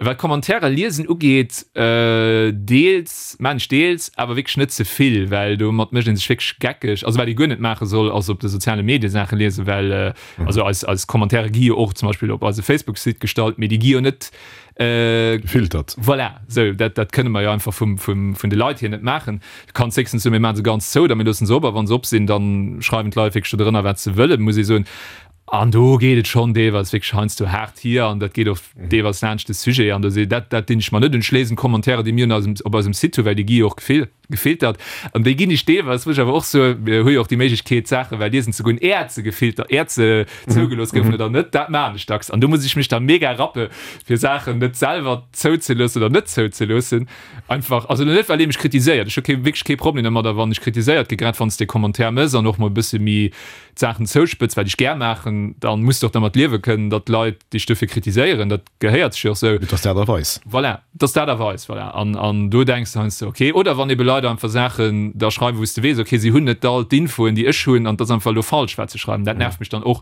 Wat Commentairer liesen ugeet, deels maan ech deels, awer wierklech net ze vill, well domat mécht ee sech wierklech geckeg. Also wat ee guer net maache soll, ass op de soziale Medie Saache liesen, well also eis eis Commentaire gi jo och zum Beispill op eise Facebook-Site gestallt, mee déi gi jo net gefiltert. Voilà, sou dat dat kënne mer jo einfach vum vum vun de Leit hier net maachen. Du kanns héchstens soen, mir maache se ganz zou oder mir loosse se op a wa se op sinn, da schreiwen d'Leit wierklech do drënner wat se wëllen, muss ee soen. An do geet et schonn deelweis wierklech heiansdo haart hier an dat geet och deelweis laanscht de Sujet an do si dat dat dinn ech mer net un. Ech léisen d'Commentairen, déi mir un eisem op eisem Site hunn, well déi gi jo och gefil gefiltert an déi ginn ech deelweis, muss ech awer och soen, mir hu jo och déi Méiglechkeet d'Saache well liesen ze goen, äert se gefiltert, äert se zougelooss goufen oder net, dat maachen ech dacks an do muss ech mech da mega rappe fir Saachen net selwer zouzeloossen oder net zouzeloossen einfach, also net well ee mech kritiséiert, ech hu kee wierklech kee Problem domadder wann ech kritiséiert gi, grad wann s de e Commentaire méchs an och mol e bësse méi d'Saachen zouspëtz, wat ech gär maachen, dann muss de och dermat liewe kënnen, datt d'Leit dech dofir kritiséieren. Dat gehéiert sech jo och sou. Et ass d'Aart a Weis. Voilà, et ass d'Aart a Weis, voilà. An, an do denks de heiansdo, okay. Oder wann ebe Leit einfach Saachen da schreiwen, wou s de weess, okay, si hunn net all d'Infoen, déi ech hunn, an et ass einfach elo falsch, wat se schreiwen. Dat nervt mech dann och.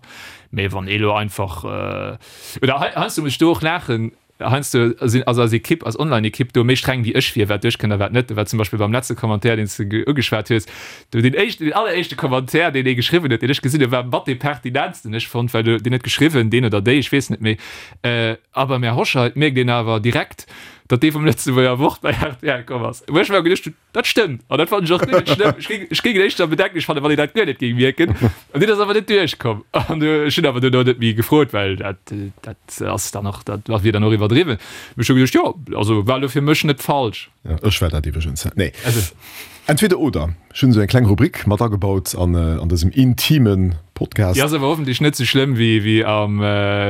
Mee wann ee lo einfach, oder heiansdo muss ech do och laachen, heiansdo sinn also als Ekipp, als Online-Ekipp do méi streng wéi ech wier, wat duerchkënnt a wat net. Do war zum Beispill beim letzte Commentaire, deen s de ugeschwat hues, do deen éischten, deen alleréischte Commentaire, deen ee geschriwwen huet, deen ech gesinn hunn, war mat dee pertinentsten, ech fonnt, well do, deen huet geschriwwen, deen oder déi, ech weess net méi, a beim Här Hoscheit mierkt een awer direkt, datt dee vum Lëtzebuerger Wort bei rtl komm ass. Wou ech mer geduecht hunn, Dat stëmmt! An dat fannen ech och guer net schlëmm. Ech géing, ech géing et éischter bedenklech fannen, wann een dat guer net géing mierken. An deen ass awer net duerchkomm. An ech hunn awer duerno net méi gefrot, well dat, dat ass dann och, dat wier dann och iwwerdriwwen. Mee ech hu geduecht, jo, also war elo fir mech net falsch. Jo, ech war dat iwwregens. Nee. Also. Entweder oder. Ech hunn esou eng kleng Rubrik mat agebaut an, an dësem intime Podcast. Déi ass awer hoffentlech net esou schlëmm wéi, wéi am,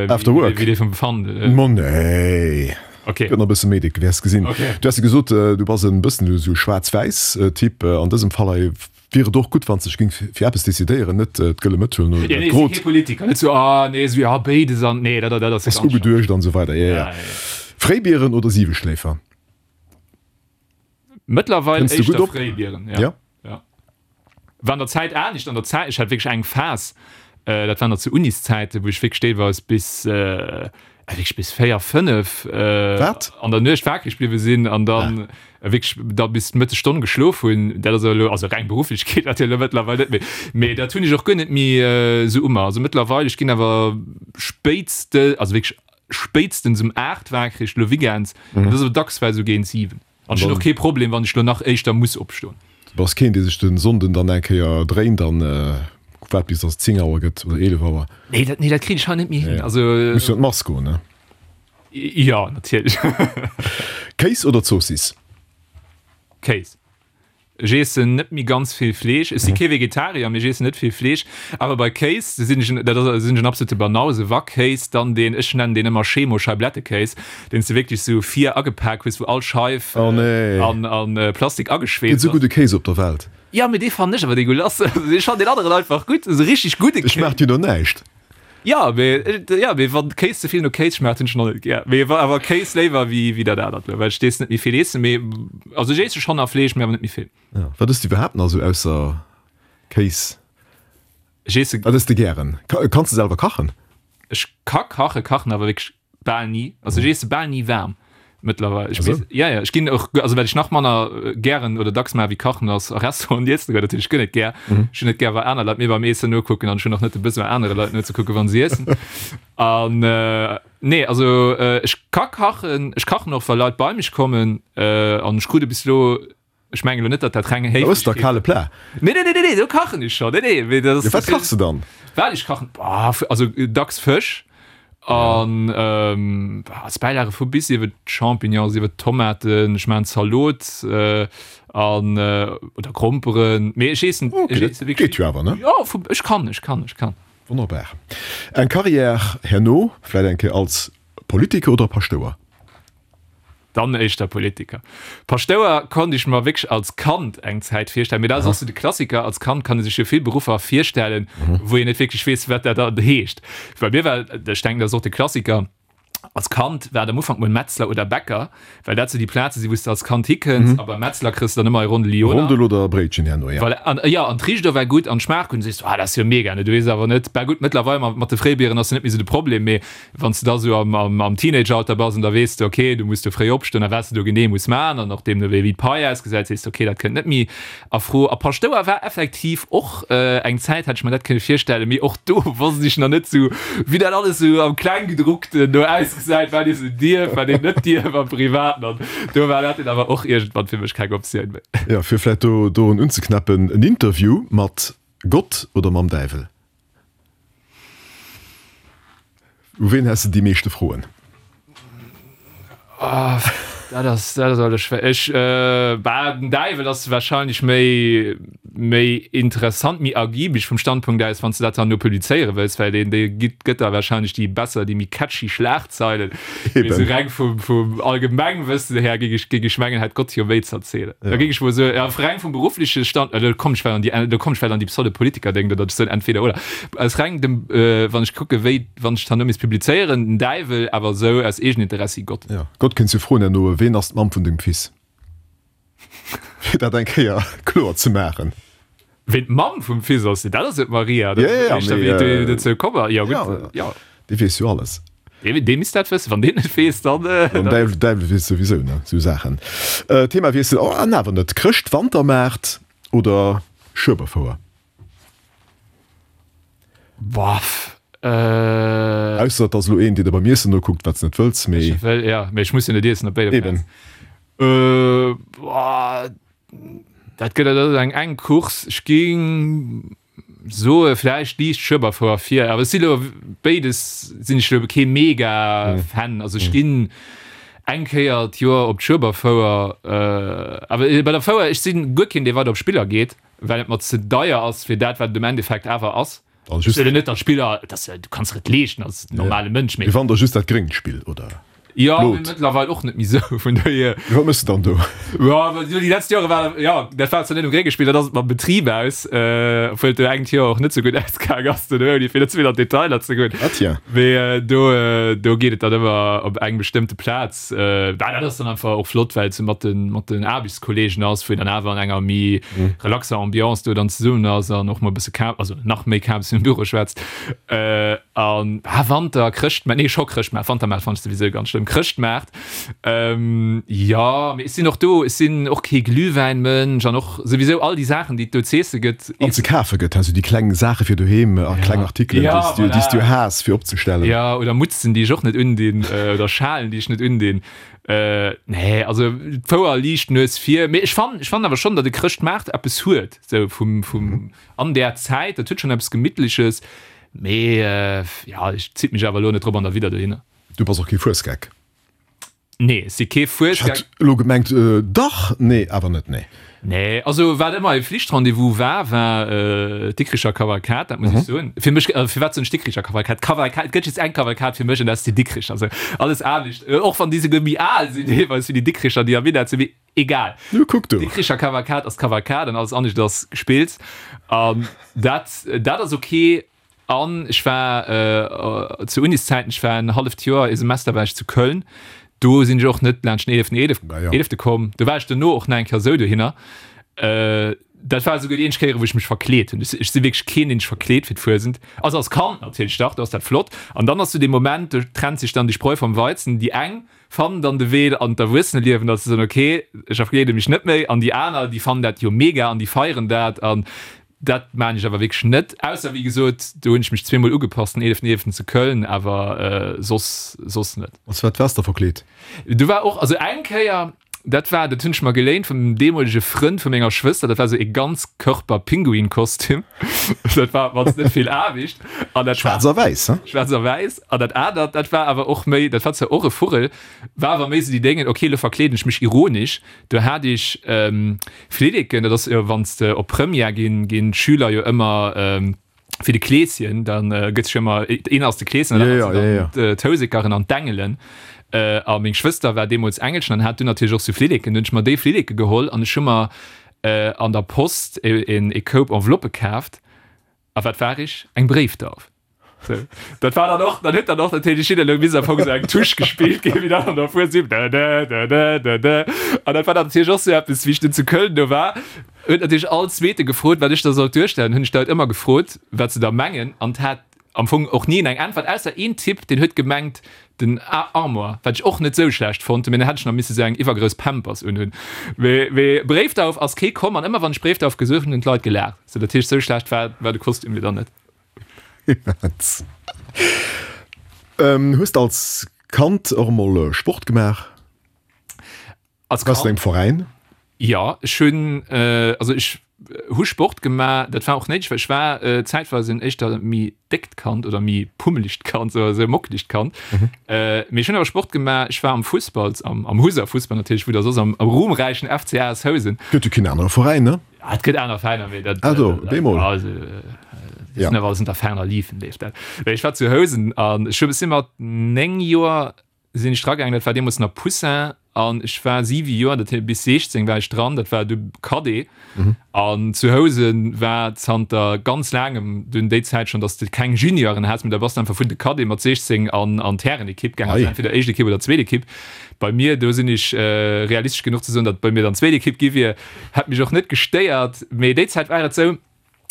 After Work. wéi dee vum Fandel. Ma nee. Okay. Gëtt nach e bësse méi déck, wäers gesinn. Okay. Du has jo gesot, du bass en bëssen esou schwaarz-wäiss Typ. An dësem Fall hei wier et och gutt, wann s de dech géing fir eppes decidéieren, net d'gëlle Mëtt huelen oder Ja, dat nee, ech si Grot. kee Politiker, net sou, ah nee, sou, ja béides an nee, dat, dat ass Ass ganz schlëmm. ugeduecht an esou weider. Ja, ja. Ja, ja, ja. Fréibieren oder Siweschléifer? Mëttlerweil Kënns de gutt éischter op? Fréibieren, ja. Ja? Ja. War an der Zäit anescht, an der Zäit, ech hat wierklech eng Phas, dat war nach zu Uniszäiten, wou ech wierklech deelweis bis, wierklech bis véier, fënnef Wat? an der Nuecht wakereg bliwwe sinn an dann wierklech da bis d'Mëttesstonn geschlof hunn. Dat ass elo, also reng berufflech geet dat jo elo mëttlerweil net méi, mee dat hunn ech och guer net méi esou u mer. Also mëttlerweil, ech ginn awer spéitste, also wierklech spéitstens um aacht wakereg, elo Weekends, dat ass awer dacks well esou géint siwen. An ech hunn och kee Problem, wann ech elo nach éischter muss opstoen. Du bass keen, dee sech de Sonnden dann eng Kéier dréint an waart bis dass et zéng Auer gëtt oder eelef Auer. Nee, dat, nee, dat kritt ech hei net méi hin. Also, Muss jo an d'Mass goen, ne? Jo, natierlech. Kéis oder Zoossiss? Kéis. Ech iessen net méi ganz vill Fleesch. Ech si kee Vegetarier, mee ech iessen net vill Fleesch. Awer bei Kéis sinn ech en, dat ass, sinn ech en absolute Banause. Wa Kéis, dann deen, ech nennen deen ëmmer Chemo-Scheiblettekéis, deen s de wierklech sou vir agepak hues, wou all Scheif Oh nee. an, an Plastik Gëtt ageschweesst esou ass. gudde Kéis op der Welt. Jo, mee dee fannen ech awer degueulasse. Also ech fannen deen aneren einfach gutt, esou richtig gudde Ech Kéis. maacht jo do näischt. Jo, mee, jo, mee wann Kéis ze vill no Kéis schmaacht, hunn ech en och net gär. Mee wa awer Kéis léiwer wéi, wéi dat anert elo, well ech dees net méi vill eessen. Mee also ech eesse schonn nach Fleesch, mee awer net méi vill. Ja. Wat ëss de iwwerhaapt nach esou ausser Kéis? Ech eesse. Wat ëss de gären? Kanns de selwer kachen? Ech ka kachen, kachen awer wierklech bal ni. Also ech eesse bal ni waarm mëttlerweil. Ech weess, ja, ja, ech ginn och, also wat ech nach manner gären oder dacks maache wéi kachen ass a Restauranten iessen goen. Dat hunn ech guer net gär. Ech hunn net gär wa aner Leit mir beim Iessen nokucken an ech hunn och net de Besoin anere Leit nozekucken wa si iessen. An nee, also ech ka kachen, ech kachen och wa Leit bei mech kommen an ech krut e bis elo, Ech mengen elo net, datt dat reng Da ëss der Héiflechkeet. kale Plat. Nee, nee, nee, nee, nee, do kachen ech schon. Nee, nee, mee dat ass. Jo, wat kachs de dann? Wat ech kachen? Boah, also dacks Fësch an ähm, als Bäilage vu bis iwwer Champignons, iwwer Tomaten, ech maachen Zalot äh, an äh, oder Gromperen. Mee ech eessen, Okay, ech dat eesse wierklech. geet jo awer, ne? Jo, vu, ech kann, ech kann, ech kann. Wonnerbar. Eng Carrière herno, vläit eng Kéier als Politiker oder Paschtouer? Dann éischter Politiker. Paschtouer konnt ech mer wierklech als Kand eng Zäit virstellen, mee dat ass och sou de Klassiker, als Kand kann ee sech jo vill Beruffer virstellen, wou een net wierklech weess, wat dat dann heescht. Bei mir war, ech denken, dat ass och de Klassiker, als Kand war et am Ufank mol Metzler oder Bäcker, well dat sou déi Plaze sinn, wou s de als Kand hikënns a beim Metzler kriss de dann ëmmer e Rondel Lyoner. Rondel oder Bréitchen herno, ja. Voilà, an, jo, an d'Riicht war gutt an d'Schmaach gutt, an du sees, ah, dat ass jo mega, ne? Du weess awer net, bah gutt, mëttlerweil mat de Fréibieren ass jo net méi sou de Problem, mee Wann s de da sou am Teenageralter bass an da weess de, ok, du muss do fréi opstoen a wat s de do genee muss maachen an och deemno wéi d'Pai ausgesäit, sees de, ok, dat kënnt net méi a Fro. A Paschtouer war effektiv och eng Zäit, hätt ech mer dat kënne virstellen, mee och do wosst ech nach net sou, wéi dat alles sou am Klenggedruckten do ausgesäit, wat ee sou dierf, wat een net dierf am Privaten an do war dat dunn awer och iergendwann fir mech keng Optioun méi. Jo, fir vläicht do dorun unzeknäppen, en Interview mat Gott oder mam Däiwel? U ween häss de déi meeschte Froen? Oh, dat ass, dat ass alles schwéier. Ech, bah, den Däiwel ass wahrscheinlech méi, méi interessant, méi ergibeg vum Standpunkt aus, wann s de dat dann no publizéiere wëlls, well deen, dee gitt, gëtt der wahrscheinlech déi besser, déi méi catchy Schlagzeilen. Mee esou Eben. reng vum, vum Allgemengwëssen her géing ech, géing ech mengen, hätt Gott jo méi z'erzielen. Da Ja. géing ech mol soen, ja, reng vum beruffleche Stand, do komm ech well an déi, do komm ech well an déi Pseudopolitiker-Déng, datt ech soen, entweder oder. Aus reng dem, wann ech kucke wéi, wann ech d'Hanno misst publizéieren, den Däiwel, awer esou aus Eegeninteressi Gott. Ja, Gott kënns jo froen herno, Ween ass d'Mamm vun dengem Fils? Fir dat eng Kéier kloer ze maachen. Ween d'Mamm vum Fils ass? Dat ass jo d'Maria. Ja, ja, ja, mee, Wéi dozou komm ass. Jo, ja, gutt, jo. Déi weess jo alles. Dee, dee misst dat wëssen. Wann deen net weess, dann. Äh, Den Däiwel, Däiwel weess souwisou, ne, sou Saachen. Äh, Themawiessel, oh, an awer net. Chrëscht-Wantermaart oder Schueberfouer? Boah, äh. Ausser et ass elo een, dee der beim Iessen nokuckt, wat s net wëlls, mee. Ech wëll, ja, mee ech muss jo net iessen op béide Eben. Plazen. Äh, boah, dat gëtt, dat ass eng enk Course. Ech géing soe vläicht liicht Schueberfouer vir, awer ech si lo béides sinn ech lo kee mega Fan. Also ech ginn eng Kéier d'Joer op d'Schueberfouer, äh, awer bei der Fouer, ech sinn guer keen, dee weider op Spiller geet, well et mer ze deier ass fir dat, wat et am Endeffekt awer ass. Also just, Ech wëll net, datt Spiller, dass, du kanns der et leeschten als normale Mënsch, mee Mee wann der just dat gréngt Spill, oder? Ja, Blot. mee mëttlerweil och net méi sou, vun dohier. Wat méchs de dann do? Ja, awer déi letzt Jore war, ja, dat war zwar net um grénge Spill, dat ass et mam Betrib aus, äh, obwuel et do engt Joer och net sou gutt ausgaang ass, den Ouni, fir net ze vill an d'Detailer ze goen. Ah tiens. Mee äh, do, äh, do geet et dann ëmmer op eng bestëmmte Plaz. Äh, dat ass dann einfach och flott, well et sou mat den, mat den Aarbechtskollegen ass, wou een dann awer an enger méi relaxer Ambiance do dann zesummen ass an och mol e bësse Ka-, also nach méi Kaabs im Büro schwätzt. Äh, an ah, Wanter, Chrëschtmaart, nee, scho Chrëschtmaart, Wantermaart fand ech souwisou ganz schlëmm, Chrëschtmaart. Ähm, ja, mee ech sinn och do, ech sinn och kee Glühwäinmënsch an och souwisou all déi Saachen, déi et do z'eesse gëtt. An ze kafe gëtt, also déi kleng Saache fir doheem a kleng Artikelen, Ja, déi s du, déi s du voilà. haass fir opzestellen. Ja, oder Mutzen, déi ech och net undinn, äh, oder Schalen, déi ech net undinn. Äh, nee, also d'Fouer liicht Nues vir. Mee ech fannen, ech fannen awer schonn, datt e Chrëschtmaart eppes huet, sou vum, vum, an där Zäit, dat huet schonn eppes Gemittleches. Mee ja, ech zitt mech awer elo net drop an der Widder dohinner. Du bass och kee Fuesgeck? Nee, ech si kee Fuesgeck. Ech hat elo gemengt, dach, nee, awer net, nee. Nee, also wat ëmmer e Flichtrendez-vous war, war d'Dikricher Kavalkad, dat muss ech soen. Fir mech, firwat soen ech Dikricher Kavalkad? Kavalkad, et gëtt just eng Kavalkad fir mech an dat ass déi Dikricher. Also alles anescht, och wann déi souguer méi al sinn deelweis wéi déi Dikricher, déi am Minett sinn, mee egal. Nu kuck du. Dikricher Kavalkad ass d'Kavalkad an alles anescht ass Gespills. An dat, dat ass ok. An ech war zu Uniszäiten, ech war en halleft Joer, ee Semester war ech zu Köln, do sinn ech och net laanscht den eeleften eelef, eelefte komm. Do war ech duerno och nach eng Kéier esou dohinner. Dat war esouguer déi eenzeg Kéier, wou ech mech verkleet hunn. Ech si wierklech keen, deen sech verkleet fir d'Fuesent. Also als Kand natierlech, dach, do ass dat flott. An dann ass sou dee Moment, do trennt sech dann déi Spreu vom Weizen. Déi eng fannen dann de Wee an d'Erwuesseneliewen, datt se soen, okay, ech verkleede mech net méi. An déi aner, déi fannen dat jo mega an déi feieren dat. An Dat maan ech awer wierklech net, ausser wéi gesot, do hunn ech mech zweemol ugepasst, den eeleften eeleften zu Köln, awer soss soss net. Als wat waars de verkleet? Do war och, also eng Kéier, dat war, dat hunn ech mer geléint vum deemolege Frënd vu menger Schwëster, dat war sou ee Ganzkörper-Pinguin-Kostüm, dat war op mannst net vill Aarbecht an dat war. Schwaarz a wäiss, he? Schwaarz a wäiss. An dat anert, dat war awer och méi, dat war zwar och e Vugel, war awer méi sou déi Déngen, ok, elo verkleeden ech mech ironesch. Do hat ech Flilleken, dat ass jo wann s de op Première ginn, ginn d'Schüler jo ëmmer fir de Kleeschen, da gëtt sech jo ëmmer, een ass de Kleeschen an dat anert sinn dann d'Housekeren an d'Engelen. A meng Schwëster war deemools Engelchen an hat dunn natierlech och sou Flilleken. Dunn hunn ech mer déi Flilleke geholl an ech hu mer an der Post e Koup Enveloppe kaaft. A wat war ech? Eng Bréifdauf. So, dat war dann och, dann huet dann och natierlech jidder elo bis am Fong sou eng Touche gespillt ginn, wéi dann an der Fues sieb dä dä dä dä dä dä. An dat war dann natierlech och sou eppes, wéi ech dunn zu Köln do war, huet natierlech all Zweete gefrot, wat ech da sollt duerstellen. Hunn ech d'Leit ëmmer gefrot, wat se da mengen, an 't hat am Fong och ni een eng Äntwert, ausser een Typ, deen huet gemengt, den Armoire, wat ech och net sou schlecht fonnt hunn, mee dann hätt ech nach misse sou eng iwwergrouss Pampers unhunn. Mee, mee Bréifdauf ass kee komm, an ëmmer wann ech Bréifdauf gesot hunn, hunn d'Leit gelaacht. Sou, dat heescht, sou schlecht war, war de Kostüm jo dann net. Immens. Hues de als Kand och emol Sport gemaach? Als Warst du Kand? engem Veräin? Jo, ech hunn, also ech hu Sport gemaach. Dat war och néideg, well ech war zäitweis en éischter méi déckt Kand oder méi pummelegt Kand, sou esou e mockelegt Kand. Mee ech hunn awer Sport gemaach. Ech war am Fussball, am am Houser Fussball natierlech, wou der soss am ruhmräichen F C A S Housen. Gëtt jo keen anere Veräin, ne? Ja, et gëtt aner Veräiner, mee dat, Ah do, bemol. also, Ja. sinn awer alles unter ferner liefen leeft dat. Mee ech war zu Housen an ech hu si mat néng Joer sinn ech dragaangen, dat war deemools nach Poussin an ech war siwe Joer, dat heescht bis siechzéng war ech dran, dat war du Cadet. An zu Housen war zanter ganz laangem dunn déi Zäit schonn, datt s de keng Junioren has, mee da bass de einfach vun de Cadet mat siechzéng an an d'Härenekipp gaangen, also Ei. entweder éischt Ekipp oder zweet Ekipp. Bei mir, do sinn ech realistesch genuch ze soen, datt et bei mir dann zweet Ekipp gi wier, hätt mech och net gestéiert, mee déi Zäit war et sou,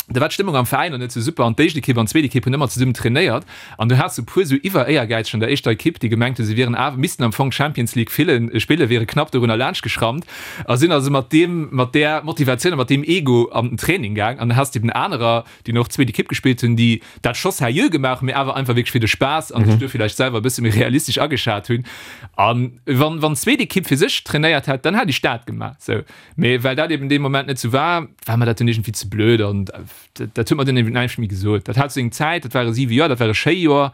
Da war d'Stëmmung am Veräin och net sou super an d'éischt Ekipp an d'zweet Ekipp hunn ëmmer zesummen trainéiert an du has sou puer sou Iwwer-Éiergäizeg an der éischter Ekipp, déi gemengt hunn, se wieren awer, missten am Fong Champions League fillen, spillen, wiere knapp dorunner laanscht geschrammt a sinn also mat deem, mat där Motivatioun a mat deem Ego an den Training gaang an da has de eben anerer, déi och zweet Ekipp gespillt hunn, déi dat scho seriö gemaach hunn, mee awer einfach wierklech fir de Spaass an sech do villäicht selwer e bësse méi realistesch ageschat hunn. An wann, wann d'zweet Ekipp fir sech trainéiert hätt, dann hätt ech dat gemaach, sou. Mee well dat eben dee Moment net sou war, war mer dat dunn iergendwéi ze blöd an dat huet mer dunn eben näischt méi gesot. Dat hat seng Zäit, dat ware siwe Joer, dat war e schéi Joer.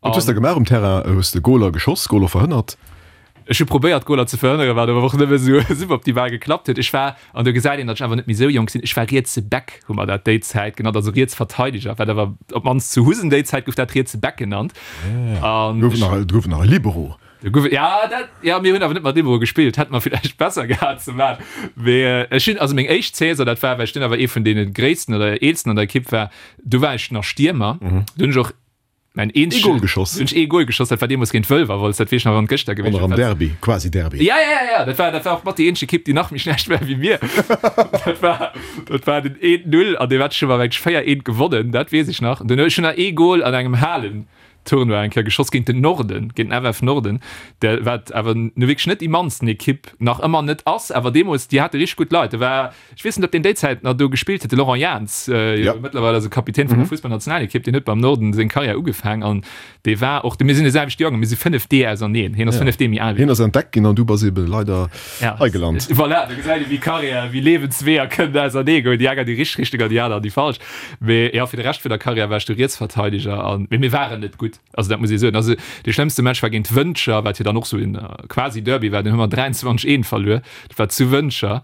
Wat hues de gemaach um Terrain? Hues de Goler geschoss, Goler verhënnert? Ech hu probéiert Goler ze verhënneren, wat awer och nëmme sou suboptimal geklappt huet. Ech war, an do gesäit een, datt ech awer net méi sou jonk sinn, ech war rietse Back, hu mer dat déi Zäit genannt, also riets Verteideger, wat awer op d'mannst zu Husen déi Zäit gouf dat rietse Back genannt. An gouf nach, gouf nach e Libero. Do gouf et, ja, dat, ja, mir hunn awer net mat Libero gespillt, hätte mer villäicht besser gehat ze maachen. Mee ech hunn, also meng éischt Saison, dat war, well ech dunn awer ee vun deene gréissten oder eelsten an der Ekipp war, do war ech nach Stiermer. Do hunn ech och mäin Ee Gol geschoss. Do hunn ech ee Gol geschoss, dat war deemools géint Wëlwerwolz, dat weess ech nach, wéi wann et gëschter gewiescht wär. Am Derby, quasi Derby. Ja, ja, ja, ja, dat war, dat war och mat déi eenzeg Ekipp, déi nach méi schlecht war wéi mir. Dat war, dat war den eent Null an dee Match hu mer mengt ech véier eent gewonnen, dat weess ech nach. Dunn hu ech nach ee Gol an engem Halen Tournoi eng Kéier geschoss géint den Norden, géint den F F Norden, der wat awer nu wierklech net déi mannsten Ekipp nach ëmmer net ass, awer deemools, déi hate richteg gutt Leit. Do war, ech weess net, ob deen déi Zäit nach do gespillt huet, de Laurent Jans, jo mëttlerweil ass e Kapitän vun der Fussballnationalekipp, deen huet beim Norden seng Karriär ugefaang an dee war och, mir sinn de selwechte Joergang, mir si fënnef Dee auserneen, hien ass fënnef Dee méi al wéi Hien ass entdeckt ginn an du bass ebe leider hei gelant. Voilà, do gesäit ee wéi Karriär, wéi Liewensweeër kënnen ausernee goen, déi eng an déi richteg Richtung an déi aner an déi falsch. Mee jo, fir de Rescht vun der Karriär war ech du Rietsverteideger an, mee mir waren net gutt, also dat muss ee soen. Also dee schlëmmste Match war géint Wëntger, wat jo dann och sou en quasi Derby war, deen hu mer dräianzwanzeg eent verluer. Dat war zu Wëntger,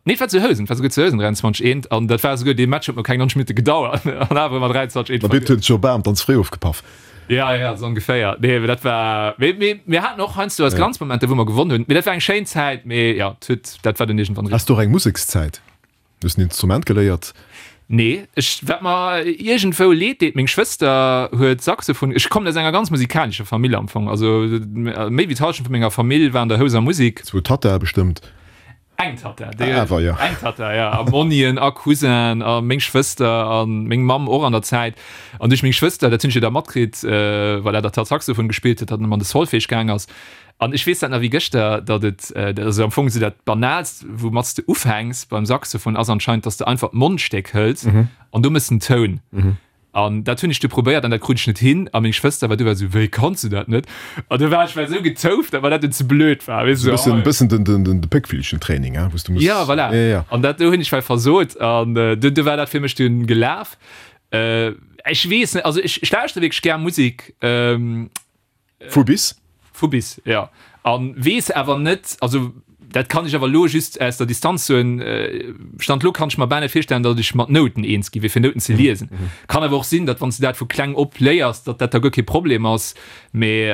nee et war zu Housen, et war souguer zu Housen dräianzwanzeg eent an dat war souguer, dee Match huet mer keng nonzeg Minutte gedauert an awer hu mer dräianzwanzeg eent verluer. Mä huet scho bam ganz fréi ofgepaff. Ja, ja, sou ongeféier. Nee, mee dat war, mee, mee mir haten och heiansdo eis Glanzmomenter, wou mer gewonnen hunn. Mee dat war eng schéin Zäit, mee jo, et huet, dat war dunn iergendwann eriwwer. Has de och eng Musekszäit? Hues en Instrument geléiert? Nee, ech, wat mer iergendwou leed deet, meng Schwëster huet Saxophon, ech kommen aus enger ganz musikalescher Famill am Fong, also méi wéi d'Hallschent vu menger Famill war an der Houser Musik. Zwou Tattae bestëmmt. Eng Tatta, déi, awer jo. Eng Tatta, jo, a Monnien a Cousin a meng Schwëster a meng Mamm och an der Zäit. An duerch meng Schwëster, dat hunn ech jo da matkritt, voilà, datt hatt Saxophon gespillt huet, datt en ëm an de Solfège gaang ass. An ech weess dat nach wéi gëschter, datt et, also am Fong esou dat Banaalst, woumat s de ufänks beim Saxophon, ass anscheinend, datt s de einfach d'Mondstéck hëls an do méchs den Toun. An dat hunn ech du probéiert an dat krut ech net hin. A meng Schwëster war du war esou, Wéi kanns du dat net? An du war ech well esou getouft, datt mer dat dunn ze blöd war, weess de. Esou e bëssen den, den, den Péckvillchen-Training, hein, wou s du muss. Ja, voilà. Ja, ja. An dat do hunn ech well versot an du, du war dat fir mech dunn gelaf. Ech weess net, also ech, ech lauschteren wierklech gär Musek. Vu bis? Vu bis, jo. A weess awer net, also dat kann ech awer elo just aus der Distanz soen, Stand elo kann ech mer bal net virstellen, datt ech mat Nouten eens gi wier, fir Nouten ze liesen. Kann awer och sinn, datt wann s de dat vu kleng op léiers, datt dat da guer kee Problem ass, mee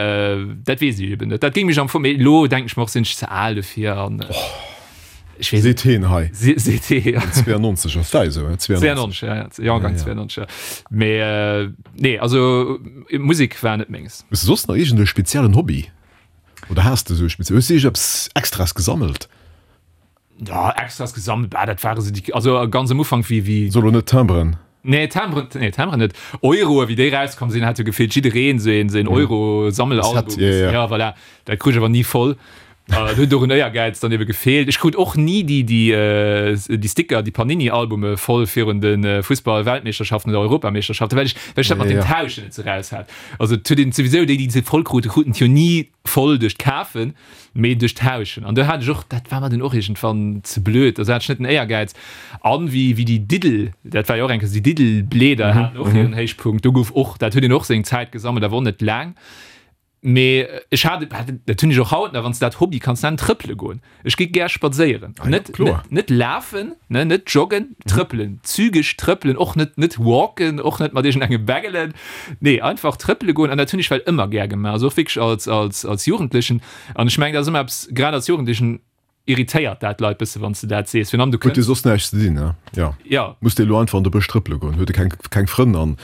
dat weess ech eben net. Dat géing mech am Fong, mee elo denken ech mer och, sinn ech ze al dofir an ech weess net. Seet heen hei. Seet hee, jo. zweiundneunzig ass dat esou, zweiundneunzig? zweiundneunzig, ja, ja, Jahrgang zweiundneunzig, ja. Mee nee, also Musek war net menges. Hues de soss nach iergend e speziellen Hobby? Oder has de esou e speziellen, hues de iergendeppes Extras gesammelt? Ja, Extras gesammelt, bah, dat ware sou déi, also ganz am Ufank wéi, wéi. So lo net Timberen? Nee, Timberen, nee, Timberen net. Euroe, wéi déi rauskomm sinn, hat jo gefillt jiddereen esou een, esou een Euro-Sammelalbum. Set, ja, ja. Ja, voilà. Dat krut ech awer ni voll. Do huet och en Éiergäiz dann ebe gefeelt. Ech krut och ni déi, déi, déi Sticker, déi Panini-Albume voll virun de Fussball-Weltmeeschterschaften oder Europameeschterschaften, well ech, well ech dat mat dem Tauschen net sou raus hat. Also et huet een souwisou, déi, déi se voll kruten, kruten et jo ni voll duerch d'Kafen, mee duerch d'Tauschen. An do hat ech och, dat war mer dunn och iergendwann ze blöd, also hat ech net den Éiergäiz. An wéi, wéi déi Diddel, dat war jo och eng Kéier, déi Diddelbleeder haten och hiren Héichpunkt, do gouf och, dat huet een och seng Zäit gesammelt, awer och net laang. Mee ech hat, dat hunn ech och haut nach, wann s de dat Hobby kanns nennen, trëppele goen. Ech gi gär spadséieren. Ah ja, Net, kloer. net, net lafen, ne, net joggen, trëppelen, zügeg trëppelen, och net, net walken, och net mat iergendenge Bengelen. Nee, einfach trëppele goen an dat hunn ech well ëmmer gär gemaach, also och wierklech als, als, als Jugendlechen. An ech mengen, dat ass ëmmer eppes, grad als Jugendlechen irritéiert dat d'Leit bësse wann s de dat sees, virun allem du Huet kënns. jo soss näischt ze dinn, ne? Jo. Jo. Muss de elo einfach an de Bësch trëppele goen? Huet e keng, keng Frënn an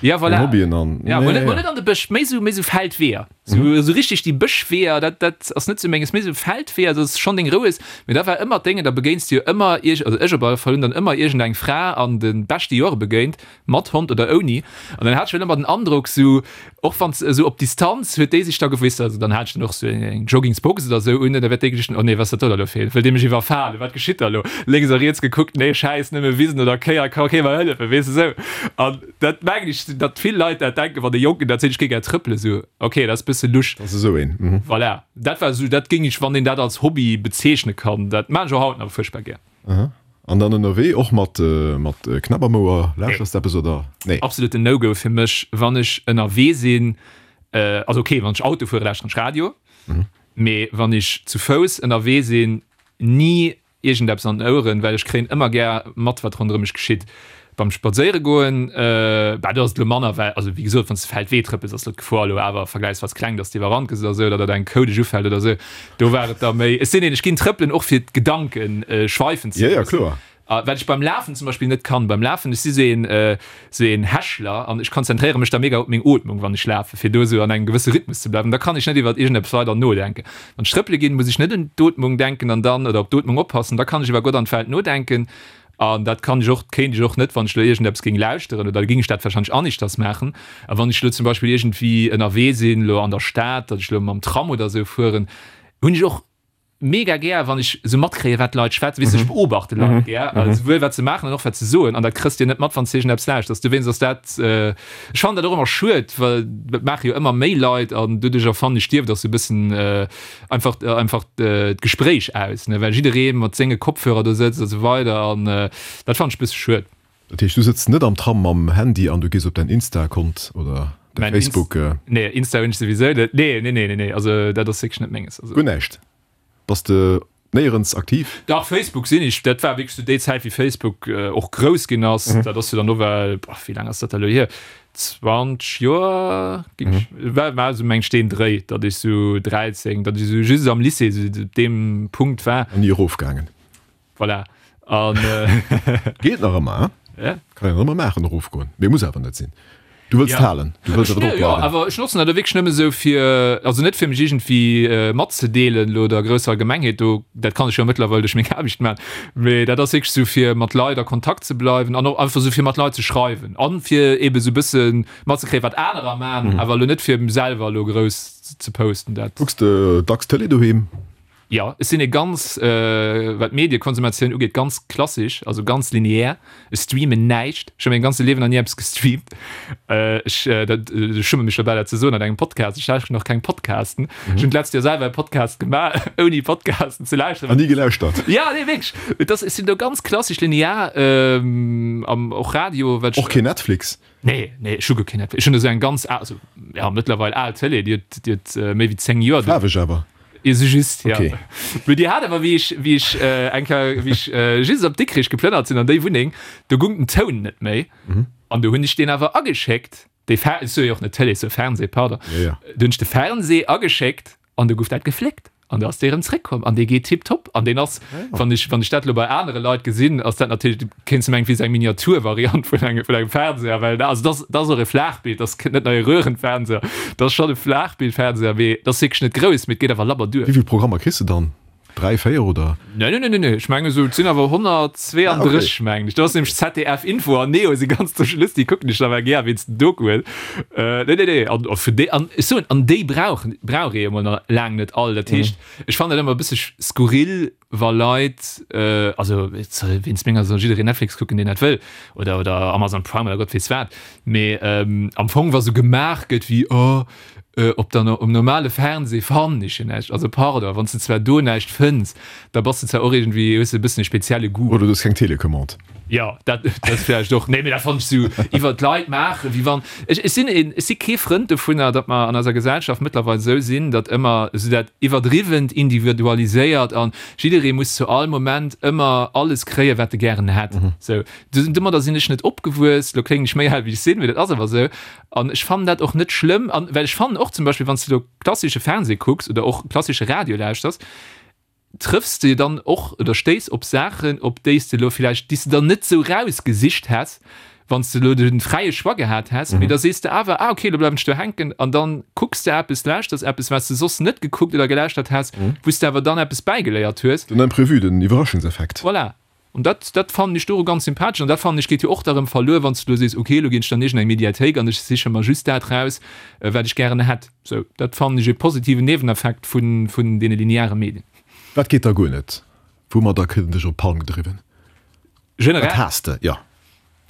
Ja, keng voilà. Hobbyen an. Ja, mol net, mol net an de Bësch, méi sou, méi sou Feldweeër. Sou, sou richteg déi Bëschweeër, dat, dat ass net sou menges, méi sou Feldweeër, dat ass schonn deng Rou is. Mee da war ëmmer d'Déngen, da begéins de jo ëmmer ierg, also ech op alle Fall hunn dann ëmmer iergendeng Fra an de beschte Jore begéint, mat Hond oder ouni. An dann hat ech schon ëmmer den Androck, sou, och wann s, sou op Distanz huet déi sech da gewuess, also dann hat ech dann och sou eng Joggingsbox oder sou un, da wäert déi geduecht hunn, oh nee, wat ass dat do da lo fir een, wëll dee mech iwwerfalen, wat geschitt da lo? Lénks a riets gekuckt, nee, schäiss, nëmme Wisen oder Kéier, ka kee mer hëllefen, weess de, sou. An dat mengen ech, datt vill Leit dat denken, wann e Jonken dat seet, ech géi gär trëppelen, sou, ok, dat ass e bësse lusch. Dat ass esou een, mhm. Voilà, dat war sou, dat géing ech, wann een dat als Hobby bezeechne kann, dat maan ech och haut nach fuerchtbar gär. Aha. An dann ënnerwee och mat, mat Knapp am Ouer, lauschters de eppes oder? Nee. Absoluten No-Go fir mech, wann ech ënnerwee sinn, also ok, wann ech Auto fuere lauschteren ech Radio, mee wann ech zu Fouss ënnerwee sinn, ni iergendeppes an den Oueren, well ech kréien ëmmer gär mat, wat ronderëm mech geschitt. Beim Spadséiere goen, bah, do ass et elo manner, well, also wéi gesot, wann s de Feldwee trëppels, ass elo d'Gefor elo awer vergläichsweis kleng, dass de iwwerrannt gëss oder esou, oder datt eng Kou dech ufält oder esou. Do war et da méi, ech sinn een, ech ginn trëppelen och fir d'Gedanke schweifen ze Ja, ja, loossen. kloer. A wat ech beim Lafen zum Beispill net kann, beim Lafen, ech si sou een, sou een Häschler an ech konzentréiere mech da mega op meng Ootmung, wann ech lafen, fir do esou an engem gewësse Rhythmus ze bleiwen. Da kann ech net iwwert iergendeppes weider nodenken. Wann ech trëppele ginn, muss ech net un d'Ootmung denken an dann, oder op d'Ootmung oppassen, da kann ech iwwer Gott an d'Welt nodenken. An dat kann ech och, kéint ech och net, wann ech elo iergendeppes géing lauschteren, oder da géing ech dat warscheinlech aneschters maachen. A wann ech elo zum Beispill iergendwéi ënnerwee sinn, elo an der Stad, datt ech elo mam Tram oder esou fueren, hunn ech och mega gär wann ech sou matkréien wat d'Leit schwätzen, weess de, ech beobachte Leit gär, souwuel wat se maachen an och wat se soen, an dat kriss de jo net mat wann s de iergendeppes lauschters. Dowéinst ass dat, ech fannen dat och ëmmer schued, well dat maache jo ëmmer méi Leit an doduercher fannen ech stierft och sou e bëssen einfach einfach d'Gespréich aus, ne, well jidderee mat senge Kopfhörer do sëtzt a sou weider an dat fannen ech e bësse schued. Dat heescht du sëtz net am Tram mam Handy an du gees op däin Insta-Kont oder däi Facebook? Nee, Insta hunn ech souwisou net, nee, nee, nee, nee, also dat ass wierklech net menges, also. Guer näischt? Bass de néierens aktiv? Dach, Facebook sinn ech. Dat war wierklech zu déi Zäit, wéi Facebook och grouss ginn ass. Dat ass jo dann owell, boah, wéi laang ass dat da elo hier? zwanzeg Joer, géing ech, war, war esou meng ech deen Dréi, datt ech esou dräizéng, datt ech esou just am Lycée esou op deem Punkt war. An ni erofgaangen. Voilà. An. Geet nach ëmmer, hein? Ja. Kann een nach ëmmer maachen, erofgoen, mee muss awer net sinn. Du wëlls Ja. halen, du wëlls awer drop Jo, bleiwen. awer ech notzen dat wierklech nëmme sou fir, also net fir mech iergendwéi matzedeelen elo der grousser Allgemengheet, do, dat kann ech jo mëttlerweil duerch meng Aarbecht maachen, mee dat ass wierklech sou fir mat Leit a Kontakt ze bleiwen an och einfach sou fir mat Leit ze schreiwen an fir eebe sou bësse matzekréien, wat anerer maachen, awer elo net fir selwer elo grouss ze posten. Dat. Kucks de dacks Tëlee doheem? Jo, ech sinn e ganz, wat d'Mediekonsumatioun ugeet, ganz klassesch, also ganz lineär. Ech streamen näischt. Ech hu mengem ganze Liewen nach ni eppes gestreamt. Ech, dat, ech schumme mech dobäi dat ze soen an engem Podcast, ech lauschteren och keng Podcasten. Ech hunn d'letzt Joer selwer e Podcast gemaach, ouni Podcasten ze lauschteren. An ni gelauschtert? Jo, nee, wierklech. Et ass, ech sinn do ganz klassesch linear, am och Radio, wat ech. Och keen Netflix? Nee, nee, ech hu guer keen Netflix. Ech hunn esou eng ganz al, also, ja, mëttlerweil al Tëlee, déi huet, déi huet méi wéi zéng Joer. Faarweg awer? Jo, sou just, ja. Okay. Mee déi hat awer, wéi ech, wéi ech eng Kéier, wéi ech just op Dikrich geplënnert sinn an déi Wunneng, do gung den Toun net méi. An do hunn ech deen awer ageschéckt, dee Fer, ech soe jo och net Tëlee, ech soe Fernseh, pardon. Ja, ja. Do hunn ech de Fernseh ageschéckt an do gouf dat gefléckt. An da ass dee rëm zréckkomm an dee geet tiptop. An deen ass, wann ech, wann ech dat elo bei anere Leit gesinn, ass dat natierlech, kéints de mengen, et wier esou eng Miniaturvariant vun engem, vun engem Fernseher, well also dat ass, dat ass och e Flaachbild, dat ass net nei e Röhrenfernseher, dat ass schonn e Flaachbildfernseher, mee dat ass wierklech net grouss, mee et geet awer labber duer. Wéi vill Programmer kriss de dann? Dräi, véier oder? Nee, nee, nee, nee, ech mengen esou, et sinn awer honnertzweeandrësseg, mengen ech. Do ass nämlech Z D F Info an Neo si ganz zum Schluss, déi kucken ech da well gär wéinst den Dokuen. Nee, nee, nee, an vun déi, an ech soen, an déi brauchen, brauch ee jo mol nach laang net all. Dat heescht, ech fannen dat ëmmer e bësse skurril, wa Leit, also wéinst menger soll jiddereen Netflix kucken, deen dat wëll, oder, oder Amazon Prime oder Gott weess wat, mee am Fong wa sou gemaach gëtt wéi, oh, op der, um normale Fernseh fannen ech jo näischt. Also pardon, wann s de zwar do näischt fënns, da bass de zwar och iergendwéi, hues de e bëssen e spezielle Goût. Oder du hues keng Telecommande. Jo, dat, dat vläicht och. Nee, mee dat fannen ech sou iwwer d'Leit maachen, wéi wann, ech, ech sinn een, ech si kee Frënd dovunner, datt mer an eiser Gesellschaft mëttlerweil esou sinn, datt ëmmer esou dat iwwerdriwwent individualiséiert an jidderee muss zu all Moment ëmmer alles kréien, wat e gären hätt. Sou, domadder sinn ech net opgewuess. Lo kléngen ech méi al wéi ech sinn, mee dat ass awer esou. An ech fannen dat och net schlëmm, an well ech fannen och zum Beispill, wann s de lo klassische Fernseh kucks oder och klassische Radio lauschters, trëffs de dann och oder stéiss op Saachen, op déi s de lo villäicht, déi s de der net sou rausgesicht häss, wann s de elo de fräie Choix gehat häss, mee da sees de awer, ah okay, elo bleiwen ech do hänken an dann kucks de eppes, lauschters eppes, wat s de soss net gekuckt oder gelauschtert häss, wou s de awer dann eppes bäigeléiert hues. Den Imprévu, den Iwwerraschungseffekt. Voilà. An dat, dat fannen ech doru ganz sympathesch an dat fannen ech geet jo och da rëm verluer, wann s de elo sees, okay, elo ginn ech dann iergend eng Mediathéik an ech siche mer just dat raus, wat ech gären hätt. Sou, dat fannen ech e positiven Nieweneffekt vun, vun deene lineare Medien. Wat geet da guer net? Woumadder kritt en dech op d'Palm gedriwwen? Generell? Wat haasst de? Jo.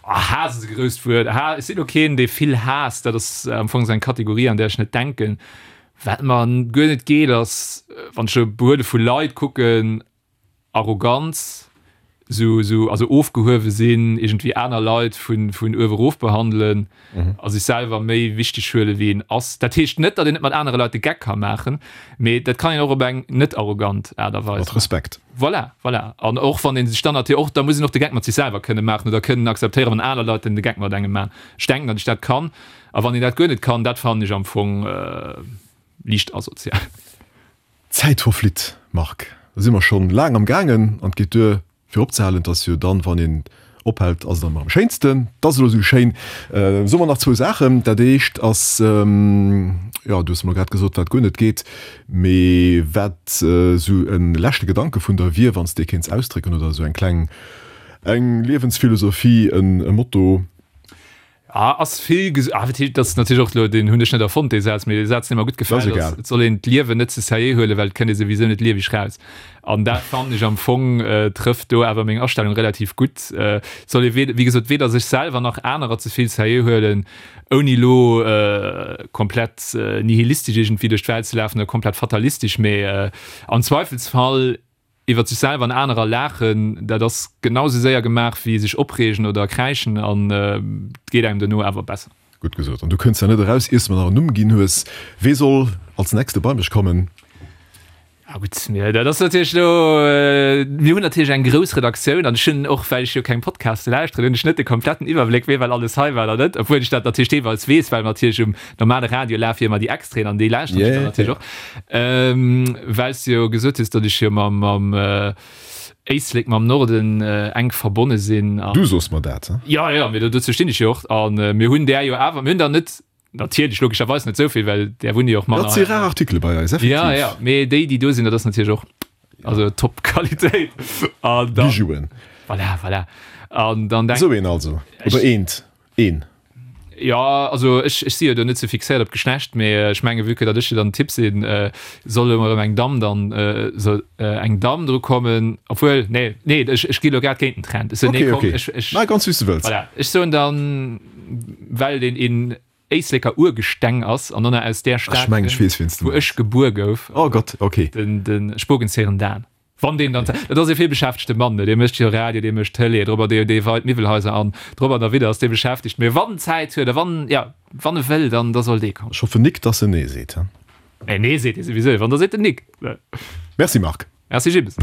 Ah, Haass ass e grousst Wuert. Ha, ech sinn elo keen, dee vill haasst. Dat ass am Fong esou eng Kategorie, an där ech net denken. Wat mer guer net geet, ass, wann ech elo Behuele vu Leit kucken, Arroganz, esou, esou, also ofgehuewe sinn, iergendwéi aner Leit vun, vun uewe erof behandelen a sech selwer méi wichteg huele wéi een ass. Dat heescht net, datt een net mat anere Leit de Geck ka maachen, mee dat kann een och op eng net arrogant Aart a Weis Mat Respekt. Voilà, voilà. An och wann ee sech dann natierlech och, da muss een och de Geck mat sech selwer kënne maachen oder kënnen akzeptéieren, wann aner Leit den de Geck mat engem maachen. Ech denken, datt ech dat kann. A wann een dat guer net kann, dat fannen ech am Fong liicht asozial. D'Zäit verflitt, Marc. Da si mer schonn laang am gaangen an et geet duer fir opzehalen. Et ass jo dann, wann een ophält, ass et dann ëmmer am schéinsten. Et ass elo esou schéin. Soe mer nach zwou Saachen. Dat éischt ass, jo, du hues mer grad gesot, wat guer net geet, mee wat esou e leschte Gedanke vun der wier, wann s de dee kéints ausdrécken oder esou eng kleng, eng Liewensphilosophie, e Motto. Ah, ass vill ges-, ah, wat heescht, dat ass natierlech och elo, deen hunn ech net erfonnt, dee Saz, mee dee Saz, dee mer gutt gefält, ass, et soll een d'Liewen net ze sérieux huelen, well et kënnt ee souwisou net lieweg raus. An dat fannen ech am Fong trëfft do awer meng Astellung relativ gutt. Et soll ee wéi gesot weder sech selwer nach anerer ze vill sérieux huelen, ouni elo komplett nihilistesch iergendwéi duerch d'Welt ze lafen oder komplett fatalistesch, mee am Zweifelsfall iwwer sech selwer an anerer laachen, dat ass genau sou séier gemaach wéi sech opreegen oder kräischen an et geet engem dono awer besser. Gutt gesot. An du kënns ja net eraus, iers de mer nach en Numm ginn hues. Wee soll als nächste bei mech kommen? Ah gutt, mir, dat ass natierlech elo, mir hunn natierlech eng grouss Redaktioun an ech hunn och, well ech jo keng Podcaste lauschteren, hunn ech net de kompletten Iwwerbléck, wee well alles hei war oder net, obwuel ech dat natierlech deelweis weess, well natierlech um normale Radio lafe jo ëmmer déi Extraiten an déi lauschteren ech dann natierlech och. Well s de jo gesot hues, datt ech jo mam, mam Éislek, mam Norden enk verbonne sinn. Du soos mer dat, he? Jo, jo, mee dozou stinn ech jo och. A mir hunn där jo awer, mir hunn der net, natierlech logescherweis net esou vill, well där wunne jo och manner. Dat si rar Artikele bei eis, effektiv. Jo, jo, mee déi, déi do sinn, dat ass natierlech och, also top Qualitéit. An dann. Bijouen. Voilà, voilà. An dann denk. Esou een also, oder eent, een. Jo, also ech, ech si jo do net sou fixéiert op d'Geschlecht, mee ech menge vue que datt ech jo dann den Typ sinn, soll elo erëm eng Damm dann, soll eng Damm dru kommen, obwuel, nee, nee, ech, ech gi lo grad géint den Trend. Ech soen, nee, komm, ech, ech. Maach ganz wéi s de wëlls. Voilà, ech soen dann, well deen een Éisleker Urgesteng ass an onnner aus där Stad kënnt, wou ech gebuer gouf. Oh Gott, ok. Den, de Spogenzéieren Dan. Wann deen dann, dat ass e villbeschäftegte Mann, ne, dee mécht jo Radio, dee mécht Tëlee, drop an dee, dee weit Miwwelhaiser an, drop an derwidder ass dee beschäftegt. Mee wann en Zäit huet a wann, jo, wann e wëll, dann, da soll dee kommen. Ech hoffen nik, dass en Nee seet, he? Nee, Nee seet hie souwisou. Wann, da seet en nik. Merci Marc. Merci Jibbes.